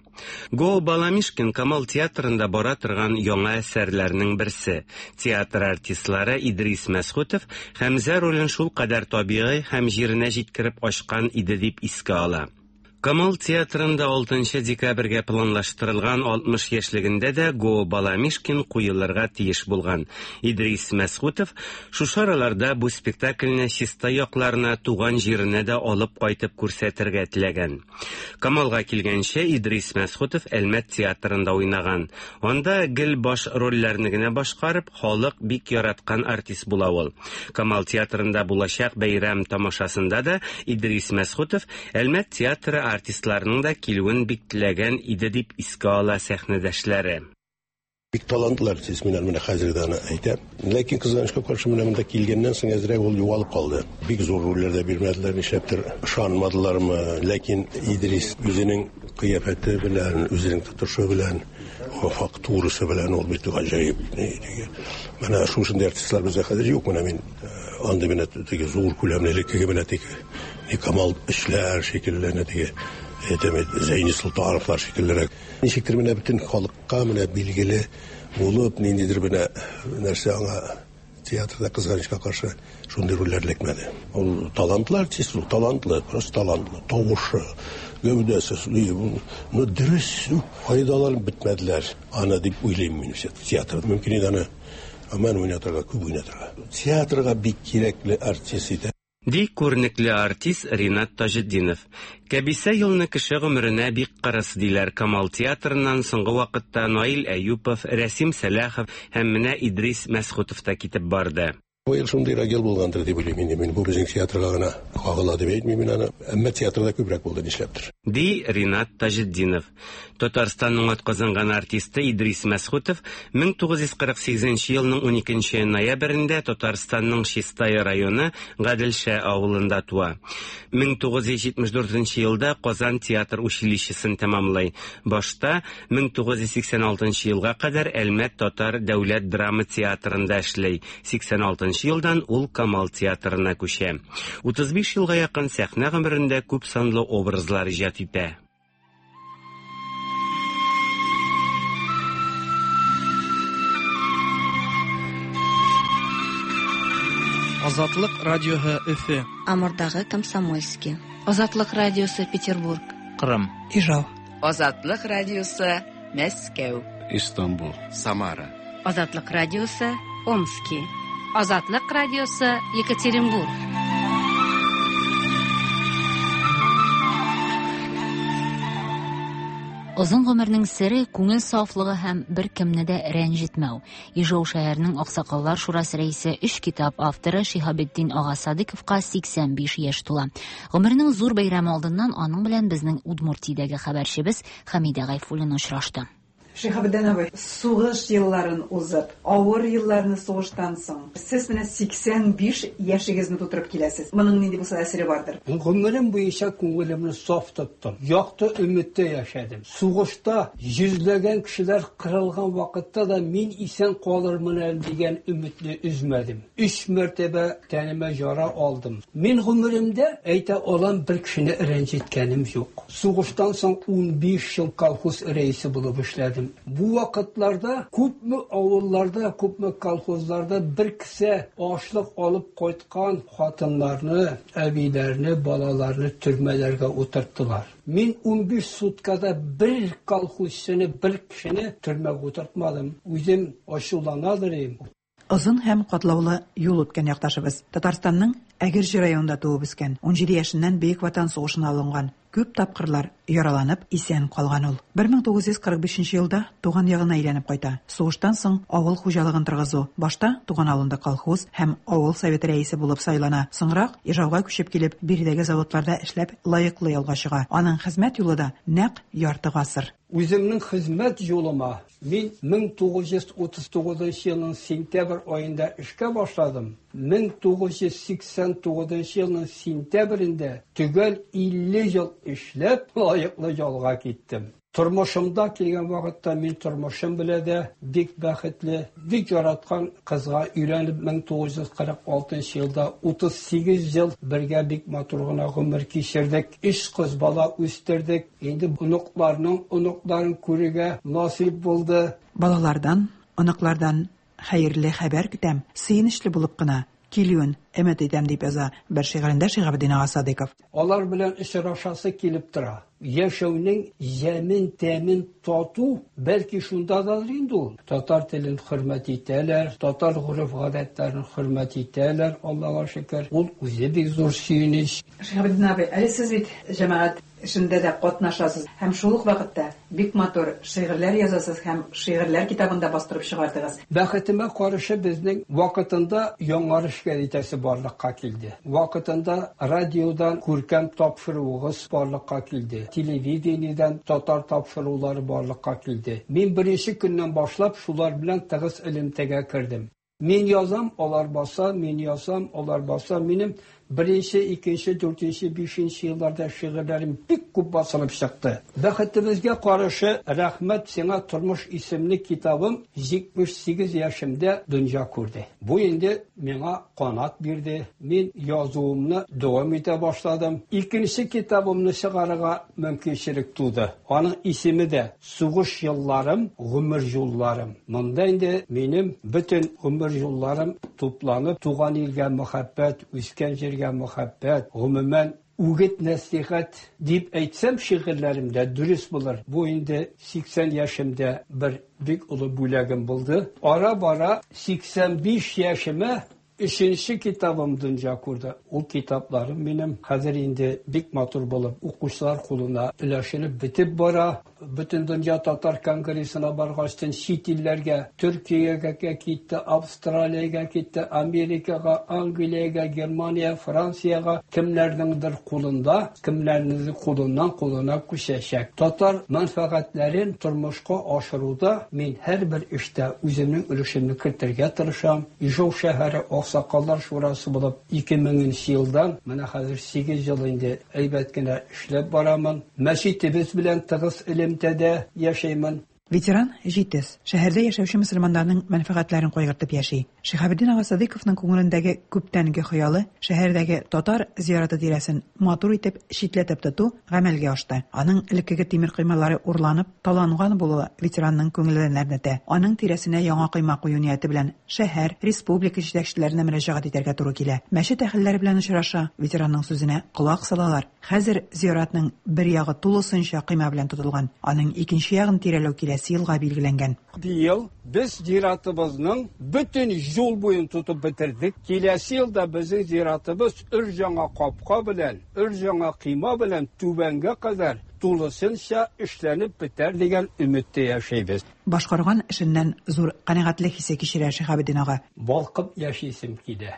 Го Баламишкин Камал театрында бара торган яңа әсәрләрнең берсе. Театр артистлары Идрис Мәсхүтов Хәмзә ролен шулкадәр табигый һәм җиренә җиткереп ачкан иде дип искә ала. Камал театрында 6 декабрьгә планлаштырылган 60 яшьлегендә дә Го Баламишкин куелырга тиеш булган. Идрис Мәсхүтов шушы араларда бу спектакльне Чистай якларына, туган җиренә дә алып кайтып күрсәтергә теләгән. Камалга килгәнче Идрис Мәсхүтов Әлмәт театрында уйнаган. Анда гел баш рольләрне генә башкарып, халык бик яраткан артист була ул. Камал театрында булачак бәйрәм тамашасында да Идрис Мәсхүтов Әлмәт театры артистларының да килүен бик теләгән иде дип искә ала сәхнәдәшләре. Бик талантлы артист, мин менә хәзер дә аны әйтәм. Ләкин кызганычка каршы менә монда килгәннән соң әзрәк ул югалып калды. Бик зур рольләр дә бирмәделәр, нишләптер ышанмадылармы. Ләкин Идрис үзенең кыяфәте белән, үзенең тотышы белән, фактурасы белән ул бит гаҗәеп. Менә шушындый артистлар бездә хәзер юк. Менә мин андый менә теге зур күләмле элеккеге менә теге Камал эшләр шикелле, теге әйтәм, Зәйни Солтановлар шикеллерәк. Ничектер менә бөтен халыкка менә билгеле булып, ниндидер менә нәрсә аңа театрда кызганычка каршы шундый рольләр эләкмәде. Ул талантлы артист, ул талантлы, просто талантлы. Тавышы, гәүдәсе, ну дөрес файдаланып бетмәделәр аны дип уйлыйм мин театрда. Мөмкин иде аны аман уйнатырга, күп уйнатырга. Театрга бик кирәкле артист иде. Ди күренекле артист Ринат Таҗетдинов. Кәбисә елны кеше гомеренә бик кырыс диләр Камал театрыннан соңгы вакытта Наил Әюпов, Рәсим Сәлахов һәм менә Идрис Мәсхүтов та китеп барды. Бу ел шундыйрак ел булгандыр дип уйлыйм инде мин. Бу безнең театрга гына кагыла дип әйтмим мин аны. Әмма театрда күбрәк булды нишләптер. Ди Ринат Таҗетдинов. Татарстанның атказанган артисты Идрис Мәсхүтов 1948 елның 12 ноябрендә Татарстанның Чистай районы Гаделшә авылында туа. 1974 елда Казан театр училищесын тәмамлый. Башта 1986 елга кадәр Әлмәт татар дәүләт драма театрында эшли. 86 елдан ул Камал театрына күчә. 35 елга якын сәхнә гомерендә күп санлы образлар иҗат итә. Азатлык радиоһы Өфе. Амурдагы Комсомольский. Азатлык радиосы Петербург. Кырым. Ижау. Азатлык радиосы Мәскәү. Истанбул. Самара. Азатлык радиосы Омски. Азатлык радиосы Екатеринбург. Озын гомернең сере күңел сафлыгы һәм беркемне дә рәнҗетмәү. Ижау шәһәренең Аксакаллар шурасы рәисе, өч китап авторы Шиһабетдин ага Садыковка 85 яшь тула. Гомеренең зур бәйрәме алдыннан аның белән безнең Удмуртиядәге хәбәрчебез Хәмидә Гайфуллина очрашты. Шиһабетдин абый, сугыш елларын узып, авыр елларны сугыштан соң, сез менә 85 яшегезне тутырып киләсез. Моның нинди булса да сере бардыр. Гомерем буенча күңелемне саф тоттым, якты өметтә яшәдем. Сугышта йөзләгән кешеләр кырылган вакытта да мин исән калырмын әле дигән өметне өзмәдем. Өч мәртәбә тәнемә яра алдым. Мин гомеремдә, әйтә алам, бер кешене рәнҗеткәнем юк. Сугыштан соң 15 ел колхоз рәисе булып эшләдем. Бу вакытларда күпме авылларда, күпме колхозларда бер кесә ашлык алып кайткан хатыннарны, әбиләрне, балаларны төрмәләргә утырттылар. Мин 15 суткада бер колхозчыны, бер кешене төрмәгә утыртмадым. Үзем ачуланадыр идем. Озын һәм катлаулы юл үткән якташыбыз. Татарстанның Әгерҗе районында туып үскән. 17 яшеннән Бөек Ватан сугышына алынган. Күп тапкырлар яраланып, исән калган ул. 1945 елда туган ягына әйләнеп кайта. Сугыштан соң авыл хуҗалыгын торгызу. Башта туган авылында колхоз һәм авыл советы рәисе булып сайлана. Соңрак Ижауга күчеп килеп, биредәге заводларда эшләп лаеклы ялга чыга. Аның хезмәт юлы да нәкъ ярты гасыр. Үземнең хезмәт юлыма мин 1939 елның сентябрь аенда эшкә башладым. 1989 елның сентябрендә төгәл 50 ел эшләп лаеклы ялга киттем. Тормышымда килгән вакытта мин тормышым белән дә бик бәхетле, бик яраткан кызга өйләнеп 1946 елда 38 ел бергә бик матур гына гомер кичердек. Өч кыз бала үстердек. Инде оныкларның оныкларын күрергә насыйп булды. Балалардан, оныклардан хәерле хәбәр көтәм, сөенечле булып кына килүен өмет итәм, дип яза бер шигырендә Шиһабетдин ага Садыйков. Алар белән очрашасы килеп тора. Яшәүнең ямен, тәмен тату, бәлки шундадыр инде ул. Татар телен хөрмәт итәләр, татар гореф-гадәтләрен хөрмәт итәләр, Аллага шөкер. Ул үзе бик зур сөенеч. Шиһабетдин абый, әле сез бит җәмәгать эшендә дә катнашасыз һәм шул ук вакытта бик матур шигырьләр язасыз һәм шигырьләр китабын да бастырып чыгардыгыз. Бәхетемә каршы безнең вакытында Яңарыш гәзитәсе барлыкка килде. Вакытында радиодан күркәм тапшыруыгыз барлыкка килде. Телевидениедән татар тапшырулары барлыкка килде. Мин беренче көннән башлап шулар белән тыгыз элемтәгә кердем. Мин язам, алар баса, мин язам, алар баса. Минем беренче, икенче, дүртенче, бишенче елларда шигырьләрем бик күп басылып чыкты. Бәхетебезгә каршы, Рәхмәт сиңа, тормыш исемле китабым 78 яшемдә дөнья күрде. Бу инде миңа канат бирде. Мин язуымны дәвам итә башладым. Икенче китабымны чыгарырга мөмкинчелек туды. Аның исеме дә Сугыш елларым, гомер юлларым. Монда инде минем бөтен гомер юлларым тупланып, туган илгә мәхәббәт, үскән җиргә мәхәббәт, гомумән, үгет-нәсыйхәт дип әйтсәм шигырьләремдә дөрес булыр. Бу инде 80 яшемдә бер бик олы бүләгем булды. Ара-бара 85 яшемә Өченче китабым дөнья күрде. Ул китапларым минем хәзер инде бик матур булып укучылар кулына өләшелеп бетеп бара. Бөтендөнья татар конгрессына баргачтын чит илләргә, Төркиягә китте, Австралиягә китте, Америкага, Англиягә, Германия, Франциягә кемнәрнеңдер кулында, кемнәрнеңдер кулыннан кулына күчәчәк. Татар мәнфәгатьләрен тормышка ашыруда мин һәрбер эштә үземнең өлешемне кертергә тырышам. Ижау шәһәре Аксакаллар шурасы булып 2000 нче елдан, менә хәзер 8 ел инде әйбәт кенә эшләп барамын. Мәчетебез белән тыгыз элемтәдә яшәймен. Ветеран җитез, шәһәрдә яшәүче мөселманнарның мәнфәгатьләрен кайгыртып яши. Шиһабетдин ага Садыйковның күңелендәге күптәнге хыялы, шәһәрдәге татар зияраты тирәсен матур итеп читләтеп тоту гамәлгә ашты. Аның элеккеге тимер коймалары урланып, таланган булуы ветеранның күңелен әрнетә. Аның тирәсенә яңа койма кую нияте белән шәһәр, республика җитәкчеләренә мөрәҗәгать итәргә туры килә. Мәчет әһелләре белән очраша, ветеранның сүзенә колак салалар. Хәзер зиратның бер ягы тулысынча койма белән тотылган. Аның икенче ягын тирәләү киләсе елга билгеләнгән. Быел без зиратыбызның бөтен Юл буен тотып бетердек. Киләсе елда безнең зиратыбыз өр-яңа капка белән, өр-яңа койма белән түбәнгә кадәр тулысынча эшләнеп бетәр дигән өметтә яшәйбез. Башкарган эшеннән зур канәгатьлек хисе кичерә Шиһабетдин ага. Балкып яшисем килә.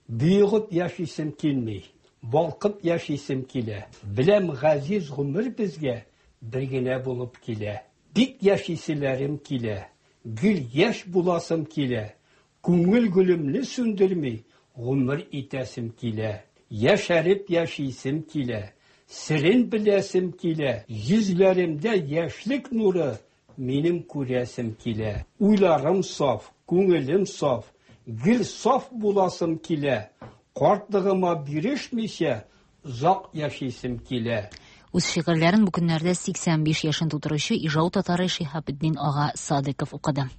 Боегып яшисем килми. Балкып яшисем килә. Беләм, газиз гомер безгә бер генә булып килә. Бик яшиселәрем килә. Гел яшь буласым килә. Күңел гөлемне сүндерми гомер итәсем килә. Яшәреп яшисем килә. Серен беләсем килә. Йөзләремдә яшьлек нуры минем күрәсем килә. Уйларым саф, күңелем саф, гел саф буласым килә. Картлыгыма бирешмичә озак яшисем килә. Үз шигырьләрен бу көннәрдә 85 яшен тутыручы Ижау татары Шиһабетдин ага Садыков укыды.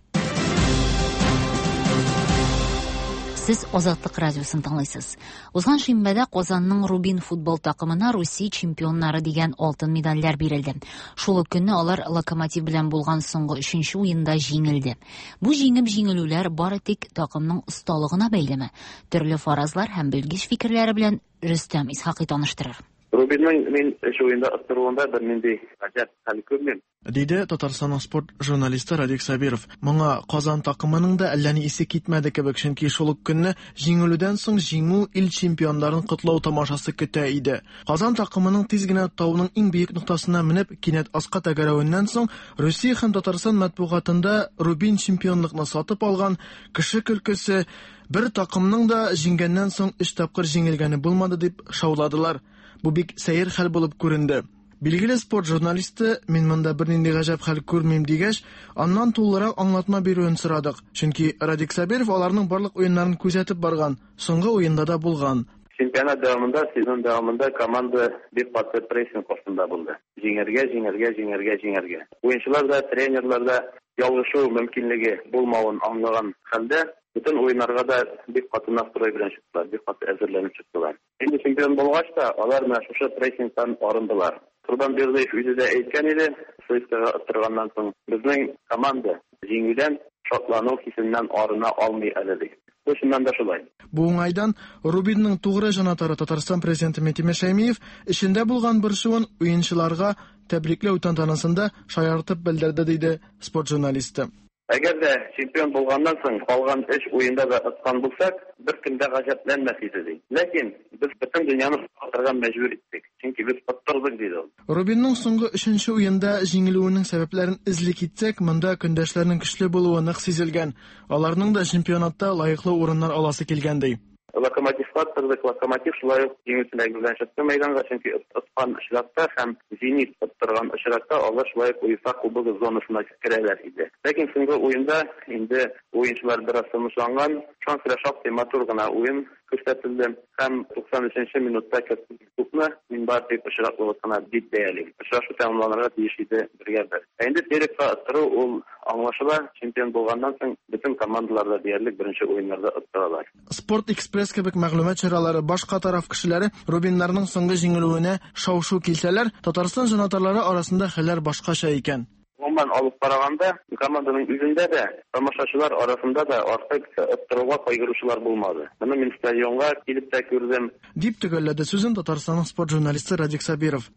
Сез Азатлык радиосын тыңлыйсыз. Узган шимбәдә Казанның Рубин футбол такымына Русия чемпионнары дигән алтын медальләр бирелде. Шул ук көнне алар Локомотив белән булган соңгы өченче уенда җиңелде. Бу җиңеп җиңелүләр бары тик такымның осталыгына бәйлеме? Төрле фаразлар һәм белгеч фикерләре белән Рөстәм Исхакый таныштырыр. Рубинның мин өч уенда оттыруында бернинди гаҗәп хәл күрмим. Диде Татарстанның спорт журналисты Радик Сабиров. Моңа Казан такымының да әллә ни исе китмәде кебек, чөнки шул ук көнне җиңелүдән соң җиңү ил чемпионнарын котлау тамашасы көтә иде. Казан такымының тиз генә тауның иң биек ноктасына менеп, кинәт аска тәгәрәвеннән соң Русия һәм Татарстан матбугатында Рубин чемпионлыкны сатып алган, кеше көлкесе, бер такымның да җиңгәннән соң өч тапкыр җиңелгәне булмады дип шауладылар. Бу бик сәер хәл булып күренде. Билгеле спорт журналисты, мин монда бернинди гаҗәп хәл күрмим дигәч, аннан тулырак аңлатма бирүен сорадык. Чөнки Радик Сабиров аларның барлык уеннарын күзәтеп барган, соңгы уенда да булган. Чемпионат дәвамында, сезон дәвамында команда бик каты прессинг астында булды. Җиңәргә, җиңәргә, җиңәргә, җиңәргә. Уенчылар да, тренерлар да ялгышу мөмкинлеге булмавын аңлаган хәлдә, бөтен уеннарга да бик каты настрой белән чыктылар, бик каты әзерләнеп чыктылар. Инде чемпион булгач та, алар менә шушы прессингтан арындылар. Корбан Бердыев үзе дә әйткән иде, ЦСКАга оттырганнан соң, безнең команда җиңүдән шатлану хисеннән арына алмый әле, ди. Бу чыннан да шулай. Бу уңайдан Рубинның тугры җанатары Татарстан президенты Минтимер Шәймиев эчендә булган борчуын уенчыларга тәбрикләү тантанасында шаяртып белдерде, диде спорт журналисты. Әгәр дә чемпион булганнан соң калган өч уенда да откан булсак, беркем дә гаҗәпләнмәс иде, ди. Ләкин без бөтен дөньяны оттырырга мәҗбүр иттек, чөнки без оттырдык, диде ул. Рубинның соңгы өченче уенда җиңелүенең сәбәпләрен эзли китсәк, монда көндәшләрнең көчле булуы нык сизелгән. Аларның да чемпионатта лаеклы урыннар аласы килгән, ди. Локомотивка оттырдык. Локомотив шулай ук җиңү теләге белән чыкты мәйданга, чөнки откан очракта һәм Зенит оттырган очракта алар шулай ук УЕФА Кубогы зонасына керәләр иде. Ләкин соңгы уенда инде уенчылар бераз тынычланган, шуңа күрә шактый матур гына уен күрсәтелде һәм 93 нче минутта кертелгән тупны мин бары тик очраклылык кына дип бәялим. Очрашу тәмамланырга тиеш иде бергә бер. Ә инде Терекка оттыру ул аңлашыла, чемпион булганнан соң бөтен командалар да диярлек беренче уеннарда оттыралар. Спорт-экспресс кебек мәгълүмат чаралары, башка тараф кешеләре Рубиннарның соңгы җиңелүенә шау-шу килсәләр, Татарстан җанатарлары арасында хәлләр башкача икән. Гомумән алып караганда, команданың үзендә дә, тамашачылар арасында да артык оттыруга кайгыручылар булмады. Моны мин стадионга килеп тә күрдем. Дип төгәлләде сүзен Татарстанның спорт журналисты Радик Сабиров.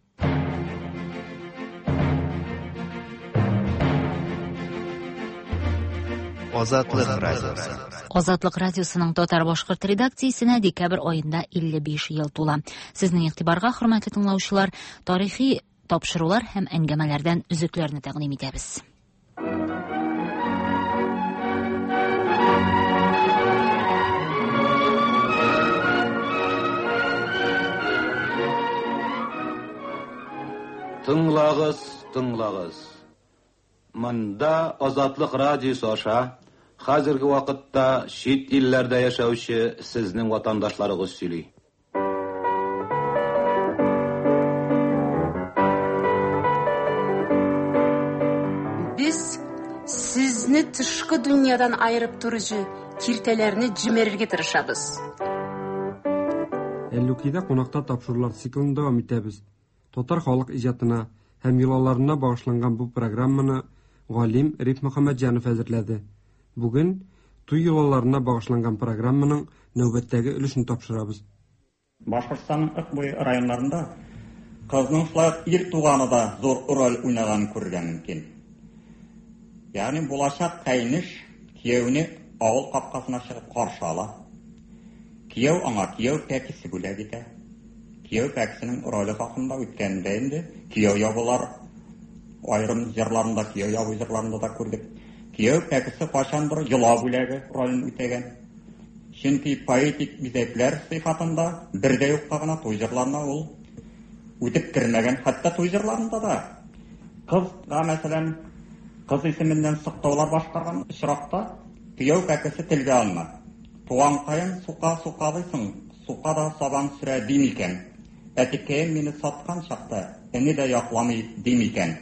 Азатлык радиосы. Азатлык радиосының татар-башкорт редакциясенә декабрь аенда 55 ел тула. Сезнең игътибарга, хөрмәтле тыңлаучылар, тарихи тапшырулар һәм әңгәмәләрдән өзекләрне тәкъдим итәбез. Тыңлагыз, тыңлагыз. Монда Азатлык радиосы аша хәзерге вакытта чит илләрдә яшәүче сезнең ватандашларыгыз сөйли. Без сезне тышкы дөньядан аерып торучы киртәләрне җимерергә тырышабыз. Әллүкидә кунакта тапшырулар циклын дәвам итәбез. Татар халык иҗатына һәм йолаларына багышланган бу программаны галим Риф Мөхәммәтҗанов әзерләде. Бүген Туй йолаларына багышланган программаның нәүбәттәге өлешен тапшырабыз. Башкортстанның Ык буе районнарында кызның шулай ук ир туганы да зур роль уйнаганын күрергә мөмкин. Ягъни булачак каенеш кияүне авыл капкасына чыгып каршы ала. Кияү аңа кияү пәкесе бүләк итә. Кияү пәкесенең роле хакында үткәндә инде кияү ябулар аерым җырларында, кияү ябу җырларында да күрдек. Кияү пәкесе кайчандыр йола бүләге ролен үтәгән. Чөнки поэтик бизәкләр сыйфатында бер дә юкка гына туй җырларына ул үтеп кермәгән. Хәтта туй җырларында да кызга, мәсәлән, кыз исеменнән сыктаулар башкарган очракта кияү пәкесе телгә алына. Туганкаем, сука сукалыйсың, сука да сабан сөрә ди микән? Әтекәем мине саткан чакта эне дә якламый ди микән?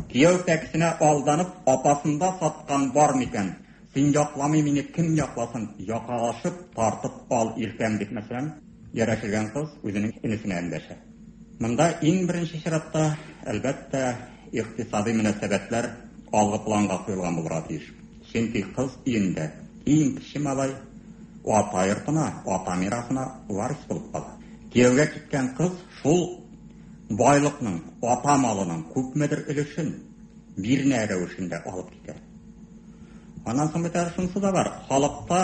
Кияү пәкесенә алданып, апасында саткан бар микән? Син якламый мине кем якласын, якалашып тартып ал иркәм, дип, мәсәлән, ярәшелгән кыз үзенең энесенә эндәшә. Монда иң беренче чиратта, әлбәттә, икътисадый мөнәсәбәтләр алгы планга куелган булырга тиеш. Чөнки кыз өендә иң кече малай ата йортына, ата мирасына варис булып кала. Кияүгә киткән кыз шул байлыкның, ата малының күпмедер өлешен бирнә рәвешендә алып китә. Аннан соң бит әле шунысы да бар, халыкта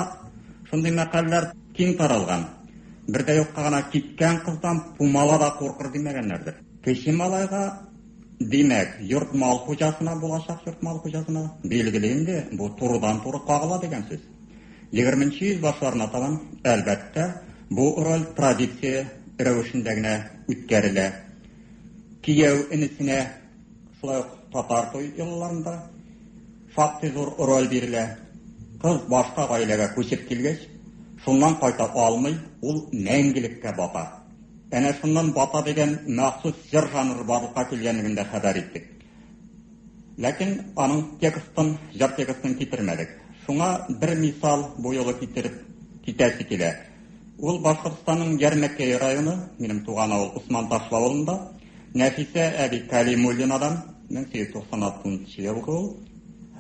шундый мәкальләр киң таралган. Бер дә юкка гына киткән кыздан пумала да куркыр димәгәннәрдер. Кече малайга, димәк, йорт-мал хуҗасына, булачак йорт-мал хуҗасына, билгеле инде, бу турыдан-туры кагыла дигән сүз. Егерменче йөз башларына табан, әлбәттә, бу роль традиция рәвешендә генә үткәрелә. Кияү энесенә шулай ук татар туй йолаларында шактый зур роль бирелә. Кыз башка гаиләгә күчеп килгәч, шуннан кайта алмый, ул мәңгелеккә бата. Әнә шуннан бата дигән махсус җыр жанры барлыкка килгәнлеген дә хәбәр иттек. Ләкин аның текстын, җыр текстын китермәдек. Шуңа бер мисал бу юлы китереп китәсе килә. Ул Башкортстанның Ярмәкәй районы, минем туган авыл Усман Ташлы авылында, Нәфисә әби Кәлимуллинадан, 1896 елгы ул,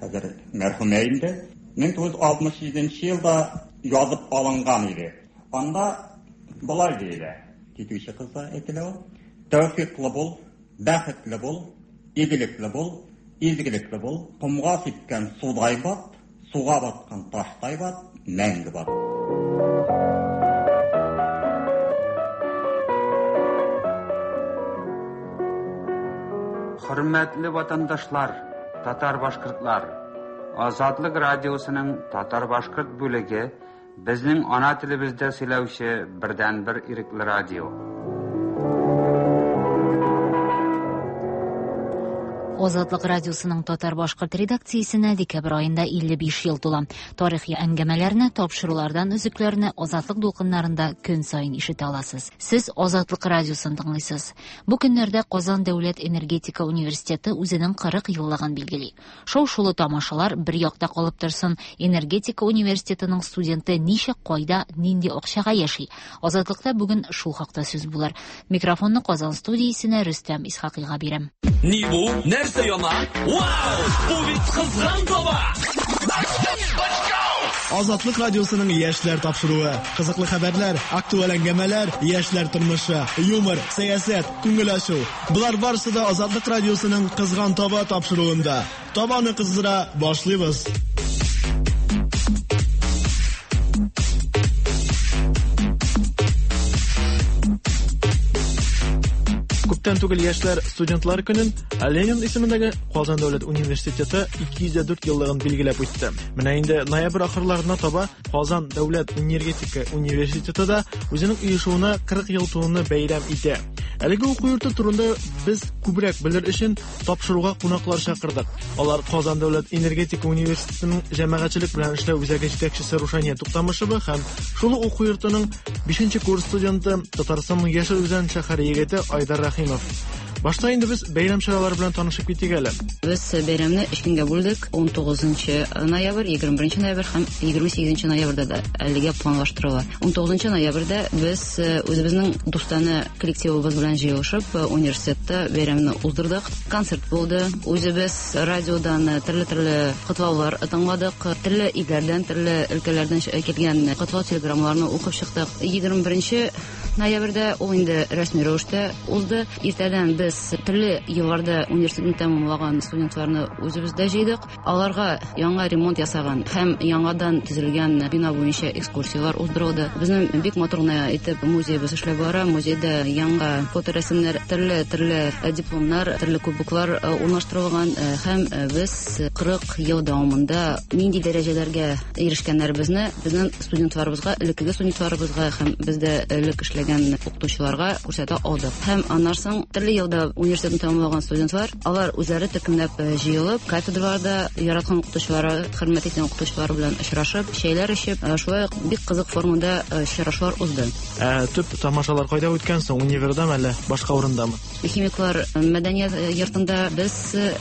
хәзер мәрхүмә инде, 1967 елда язып алынган иде. Анда болай диелә, китүче кызга әйтелә ул, Тәүфиклы бул, бәхетле бул, игелекле бул, изгелекле бул, комга сипкән судай бат, суга баткан таштай бат, мәңге бат. Хөрмәтле ватандашлар, татар-башкортлар! Азатлык радиосының татар-башкорт бүлеге безнең ана телебездә сөйләүче бердәнбер ирекле радио. Азатлык радиосының татар-башкорт редакциясенә декабрь аенда 55 ел тула. Тарихи әңгәмәләрне, тапшырулардан өзекләрне Азатлык дулкыннарында көн саен ишетә аласыз. Сез Азатлык радиосын тыңлыйсыз. Бу көннәрдә Казан дәүләт энергетика университеты үзенең 40 еллыгын билгели. Шау-шулы тамашалар бер якта калып торсын, энергетика университетының студенты ничек, кайда, нинди акчага яши? Азатлыкта бүген шул хакта сүз булыр. Микрофонны Казан студиясенә Рөстәм Исхакыйга бирәм. Ни бу? Нәрсә яна? Вау! Бу бит кызган таба! Азатлык радиосының яшьләр тапшыруы. Кызыклы хәбәрләр, актуаль әңгәмәләр, яшьләр тормышы, юмор, сәясәт, күңел ачу. Болар барысы да Азатлык радиосының Кызган таба тапшыруында. Табаны кыздыра башлыйбыз. Күптән түгел яшьләр студентлар көнен Ленин исемендәге Казан дәүләт университеты 204 еллыгын билгеләп үтте. Менә инде ноябрь ахырларына таба Казан дәүләт энергетика университеты да үзенең оешуына 40 ел тулуны бәйрәм итә. Әлеге уку йорты турында без күбрәк белер өчен тапшыруга кунаклар чакырдык. Алар Казан дәүләт энергетика университетының җәмәгатьчелек белән эшләү үзәге җитәкчесе Рушания Туктамышева һәм шул ук уку йортының 5 курс студенты, Татарстанның Яшел Үзән шәһәре егете Айдар Рәхимов. Башта инде без бәйрәм чаралары белән танышып китик әле. Без бәйрәмне өч көнгә бүлдек. 19 ноябрь, 21 ноябрь һәм 28 ноябрьдә дә әлегә планлаштырыла. 19 ноябрьдә без э, үзебезнең дустанә коллективыбыз белән җыелышып, э, университетта бәйрәмне уздырдык. Концерт булды. Үзебез радиодан э, төрле-төрле котлаулар тыңладык. Төрле илләрдән, төрле өлкәләрдән килгән котлау телеграммаларны укып чыктык. 21 ноябрьдә ул инде рәсми рәвештә узды. Иртәдән без төрле елларда университетны тәмамлаган студентларны үзебездә җыйдык. Аларга яңа ремонт ясаган һәм яңадан төзелгән бина буенча экскурсияләр уздырылды. Безнең бик матур гына итеп музеебыз эшләп бара. Музейда яңа фоторәсемнәр, төрле-төрле дипломнар, төрле кубоклар урнаштырылган һәм без 40 ел дәвамында нинди дәрәҗәләргә ирешкәннәребезне безнең студентларыбызга, элеккеге студентларыбызга һәм бездә элек эшләгән укытучыларга күрсәтә алдык. Һәм аннан соң төрле елда университетны тәмамлаган студентлар, алар үзләре төркемләп э, җыелып, кафедраларда яраткан укытучылары, хөрмәт иткән укытучылары белән очрашып, чәйләр эчеп, э, шулай ук бик кызык формада э, очрашулар узды. Ә төп тамашалар кайда үткән соң? Универдамы әллә башка урындамы? Химиклар мәдәният йортында без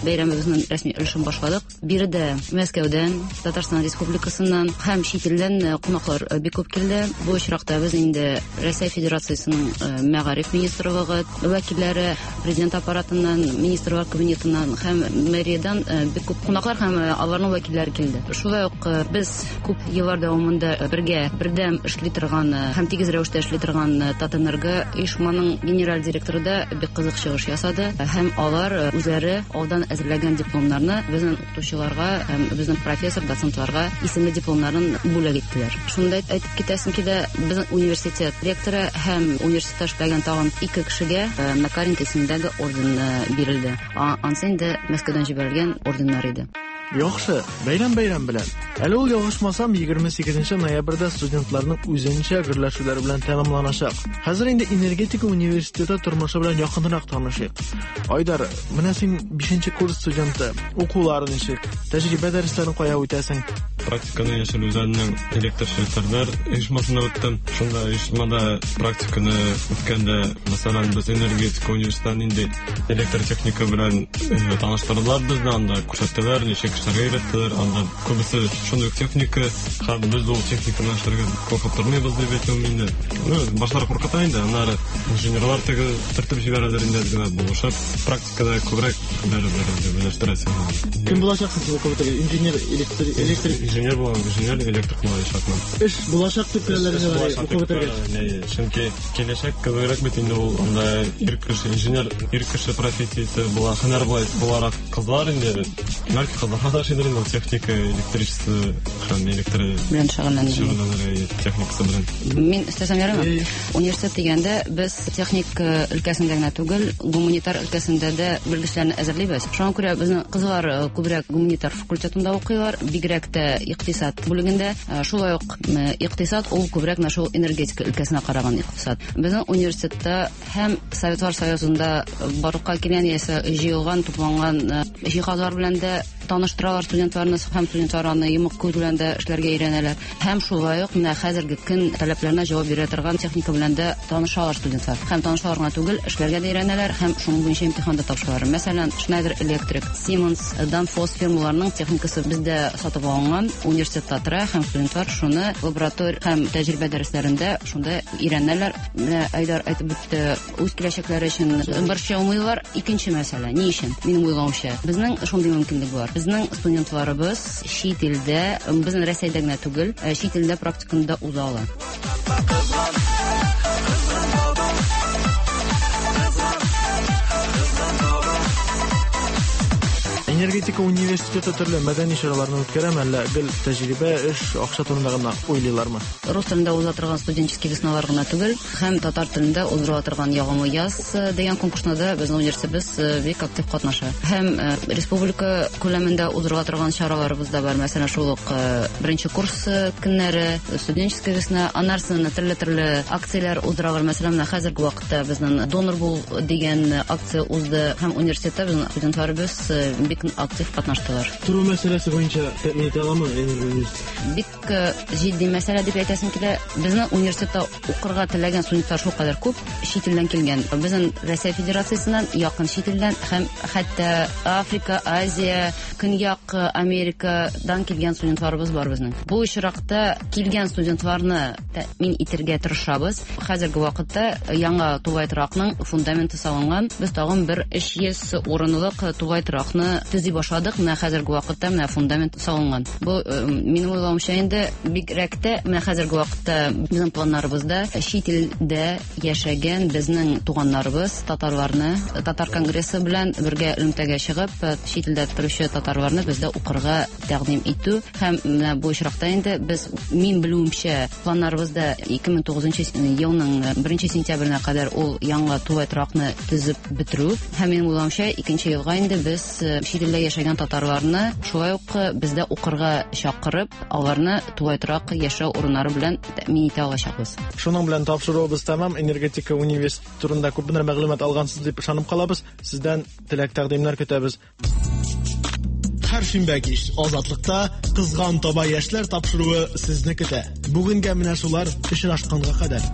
бәйрәмебезнең рәсми өлешен башладык. Биредә Мәскәүдән, Татарстан Республикасыннан һәм чит илдән э, кунаклар э, бик күп килде. Бу очракта без инде Рәсәй Федерациясенең э, мәгариф министрлыгы вәкилләре, президент аппаратыннан, министрлар кабинетыннан һәм мэриядән бик күп кунаклар һәм аларның вәкилләре килде. Шулай ук без күп еллар дәвамында бергә бердәм эшли торган һәм тигез рәвештә эшли торган Татэнерго оешманың генераль директоры да бик кызык чыгыш ясады һәм алар үзләре алдан әзерләгән дипломнарны безнең укытучыларга һәм безнең профессор, доцентларга исемле дипломнарын бүләк иттеләр. Шунда әйтеп китәсем килә, безнең университет ректоры һәм университетта эшләгән тагын ике кешегә э, Макаренко исемендәге орден э, бирелде. Ансы инде Мәскәүдән җибәрелгән орденнар иде. Яхшы, бәйрәм бәйрәм белән. Әле ул ялгышмасам, 28 ноябрьдә студентларның үзенчә гөрләшүләре белән тәмамланачак. Хәзер инде энергетика университеты тормышы белән якынрак танышыйк. Айдар, менә син 5 курс студенты. Укулар ничек? Тәҗрибә дәресләрен кая үтәсең? Практиканы Яшел Үзәннең электр челтәрләр оешмасында үттем. Шунда оешмада практиканы үткәндә, мәсәлән, без энергетика университетында нинди электр техника белән э, таныштырдылар безне, анда күрсәттеләр, ничек эшләргә өйрәттеләр. Анда күбесе шундый ук техника, һәм без ул техника белән эшләргә куркып тормыйбыз дип әйтүем инде. Ну, башлары куркыта инде, аннары инженерлар теге төртеп җибәрәләр инде, әз генә булышып. Практикада күбрәк бәрабәр инде белештерәсең. Кем булачаксың син укып бетергәч? Инженер, электр, электрик? Инженер булам, инженер, электрик булачакмын. Эш булачак дип беләләр инде укып бетергәч. Чөнки киләчәк кебегрәк бит инде ул анда ир кеше, инженер, ир кеше профессиясе була, һөнәр буларак кызлар инде, бәлки кызларга да ошыйдыр инде ул техника, электричество һәм электр белән шөгыльләнергә. Техникасы белән. Мин өстәсәм ярыймы? Университет дигәндә без техник э, өлкәсендә генә түгел, гуманитар өлкәсендә дә белгечләрне әзерлибез. Шуңа күрә безнең кызлар э, күбрәк гуманитар факультетында укыйлар, бигрәк тә икътисад бүлегендә. Э, шулай ук икътисад ул күбрәк менә шул энергетика өлкәсенә караган икътисад. Безнең университетта һәм Советлар Союзында барлыкка килгән яисә җыелган, тупланган җиһазлар белән дә таныштыралар студентларны һәм студентлар аны йомык күз белән дә эшләргә өйрәнәләр. Һәм шулай ук менә хәзерге көн таләпләренә җавап бирә торган техника белән дә танышалар студентлар. Һәм танышалар гына түгел, эшләргә дә өйрәнәләр һәм шуның буенча имтихан да тапшыралар. Мәсәлән, Schneider Electric, Siemens, Danfoss фирмаларының техникасы бездә сатып алынган, университетта тора һәм студентлар шуны лаборатор һәм тәҗрибә дәресләрендә шунда өйрәнәләр. Менә Айдар әйтеп үтте, үз киләчәкләре өчен борчылмыйлар. Икенче мәсьәлә, ни өчен? Минем уйлавымча, безнең шундый мөмкинлек бар. Безнең студентларыбыз чит илдә, безнең Рәсәйдә генә түгел, э, чит илдә практиканы да уза ала. Энергетика университеты төрле мәдәни чараларны үткәрәме, әллә гел тәҗрибә, эш, акча турында гына уйлыйлармы? Рус телендә уза торган студенческий весналар гына түгел, Һәм татар телендә уздырыла торган Ягымлы яз э, дигән конкурсында да безнең университетыбыз э, бик актив катнаша. Һәм э, республика күләмендә уздырыла торган чараларыбыз да бар. Мәсәлән, шул ук беренче курс көннәре, студенческая весна, аннан соң төрле-төрле акцияләр уздыралар. Мәсәлән, менә хәзерге вакытта безнең донор бул дигән акция узды һәм университетта безнең студентларыбыз бик актив катнаштылар. Тору мәсьәләсе буенча тәэмин итә аламы энергоуниверситет? Бик җитди мәсьәлә дип әйтәсем килә. Безнең университетта укырга теләгән студентлар шулкадәр күп, чит илдән килгән. Безнең Россия Федерациясеннән, якын чит илдән һәм хәтта Африка, Азия, Көньяк Америкадан килгән студентларыбыз бар безнең. Бу очракта килгән студентларны тәэмин итәргә тырышабыз. Хәзерге вакытта яңа тулай торакның фундаменты салынган. Без тагын бер 300 урынлык тулай торакны төзи башладык. Менә хәзерге вакытта менә фундамент салынган. Бу э, минем уйлавымча инде бигрәк тә менә хәзерге вакытта безнең планнарыбызда чит илдә яшәгән безнең туганнарыбыз татарларны татар конгрессы белән бергә элемтәгә чыгып чит илдә торучы татарларны бездә укырга тәкъдим итү һәм менә бу очракта инде без мин белүемчә планнарыбызда 2009 елның 1 сентябренә кадәр ул яңа тулай торакны төзеп бетерү һәм минем уйлавымча икенче елга инде без чит илдә яшәгән татарларны шулай ук бездә укырга чакырып аларны тулай торак яшәү урыннары белән тәэмин итә алачакбыз. Шуның белән тапшыруыбыз тәмам. Энергетика университеты турында күпмедер мәгълүмат алгансыз дип ышанып калабыз. Сездән теләк-тәкъдимнәр көтәбез. Һәр шимбә кич Азатлыкта Кызган таба яшьләр тапшыруы сезне көтә. Бүгенгә менә шулар, очрашканга кадәр.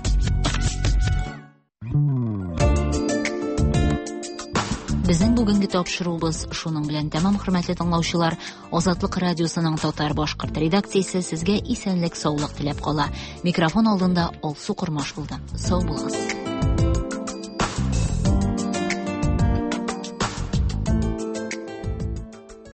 Безнең бүгенге тапшыруыбыз шуның белән тәмам, хөрмәтле тыңлаучылар. Азатлык радиосының татар башкорт редакциясе сезгә исәнлек, саулык теләп кала. Микрофон алдында Алсу Кормаш булды. Сау булыгыз.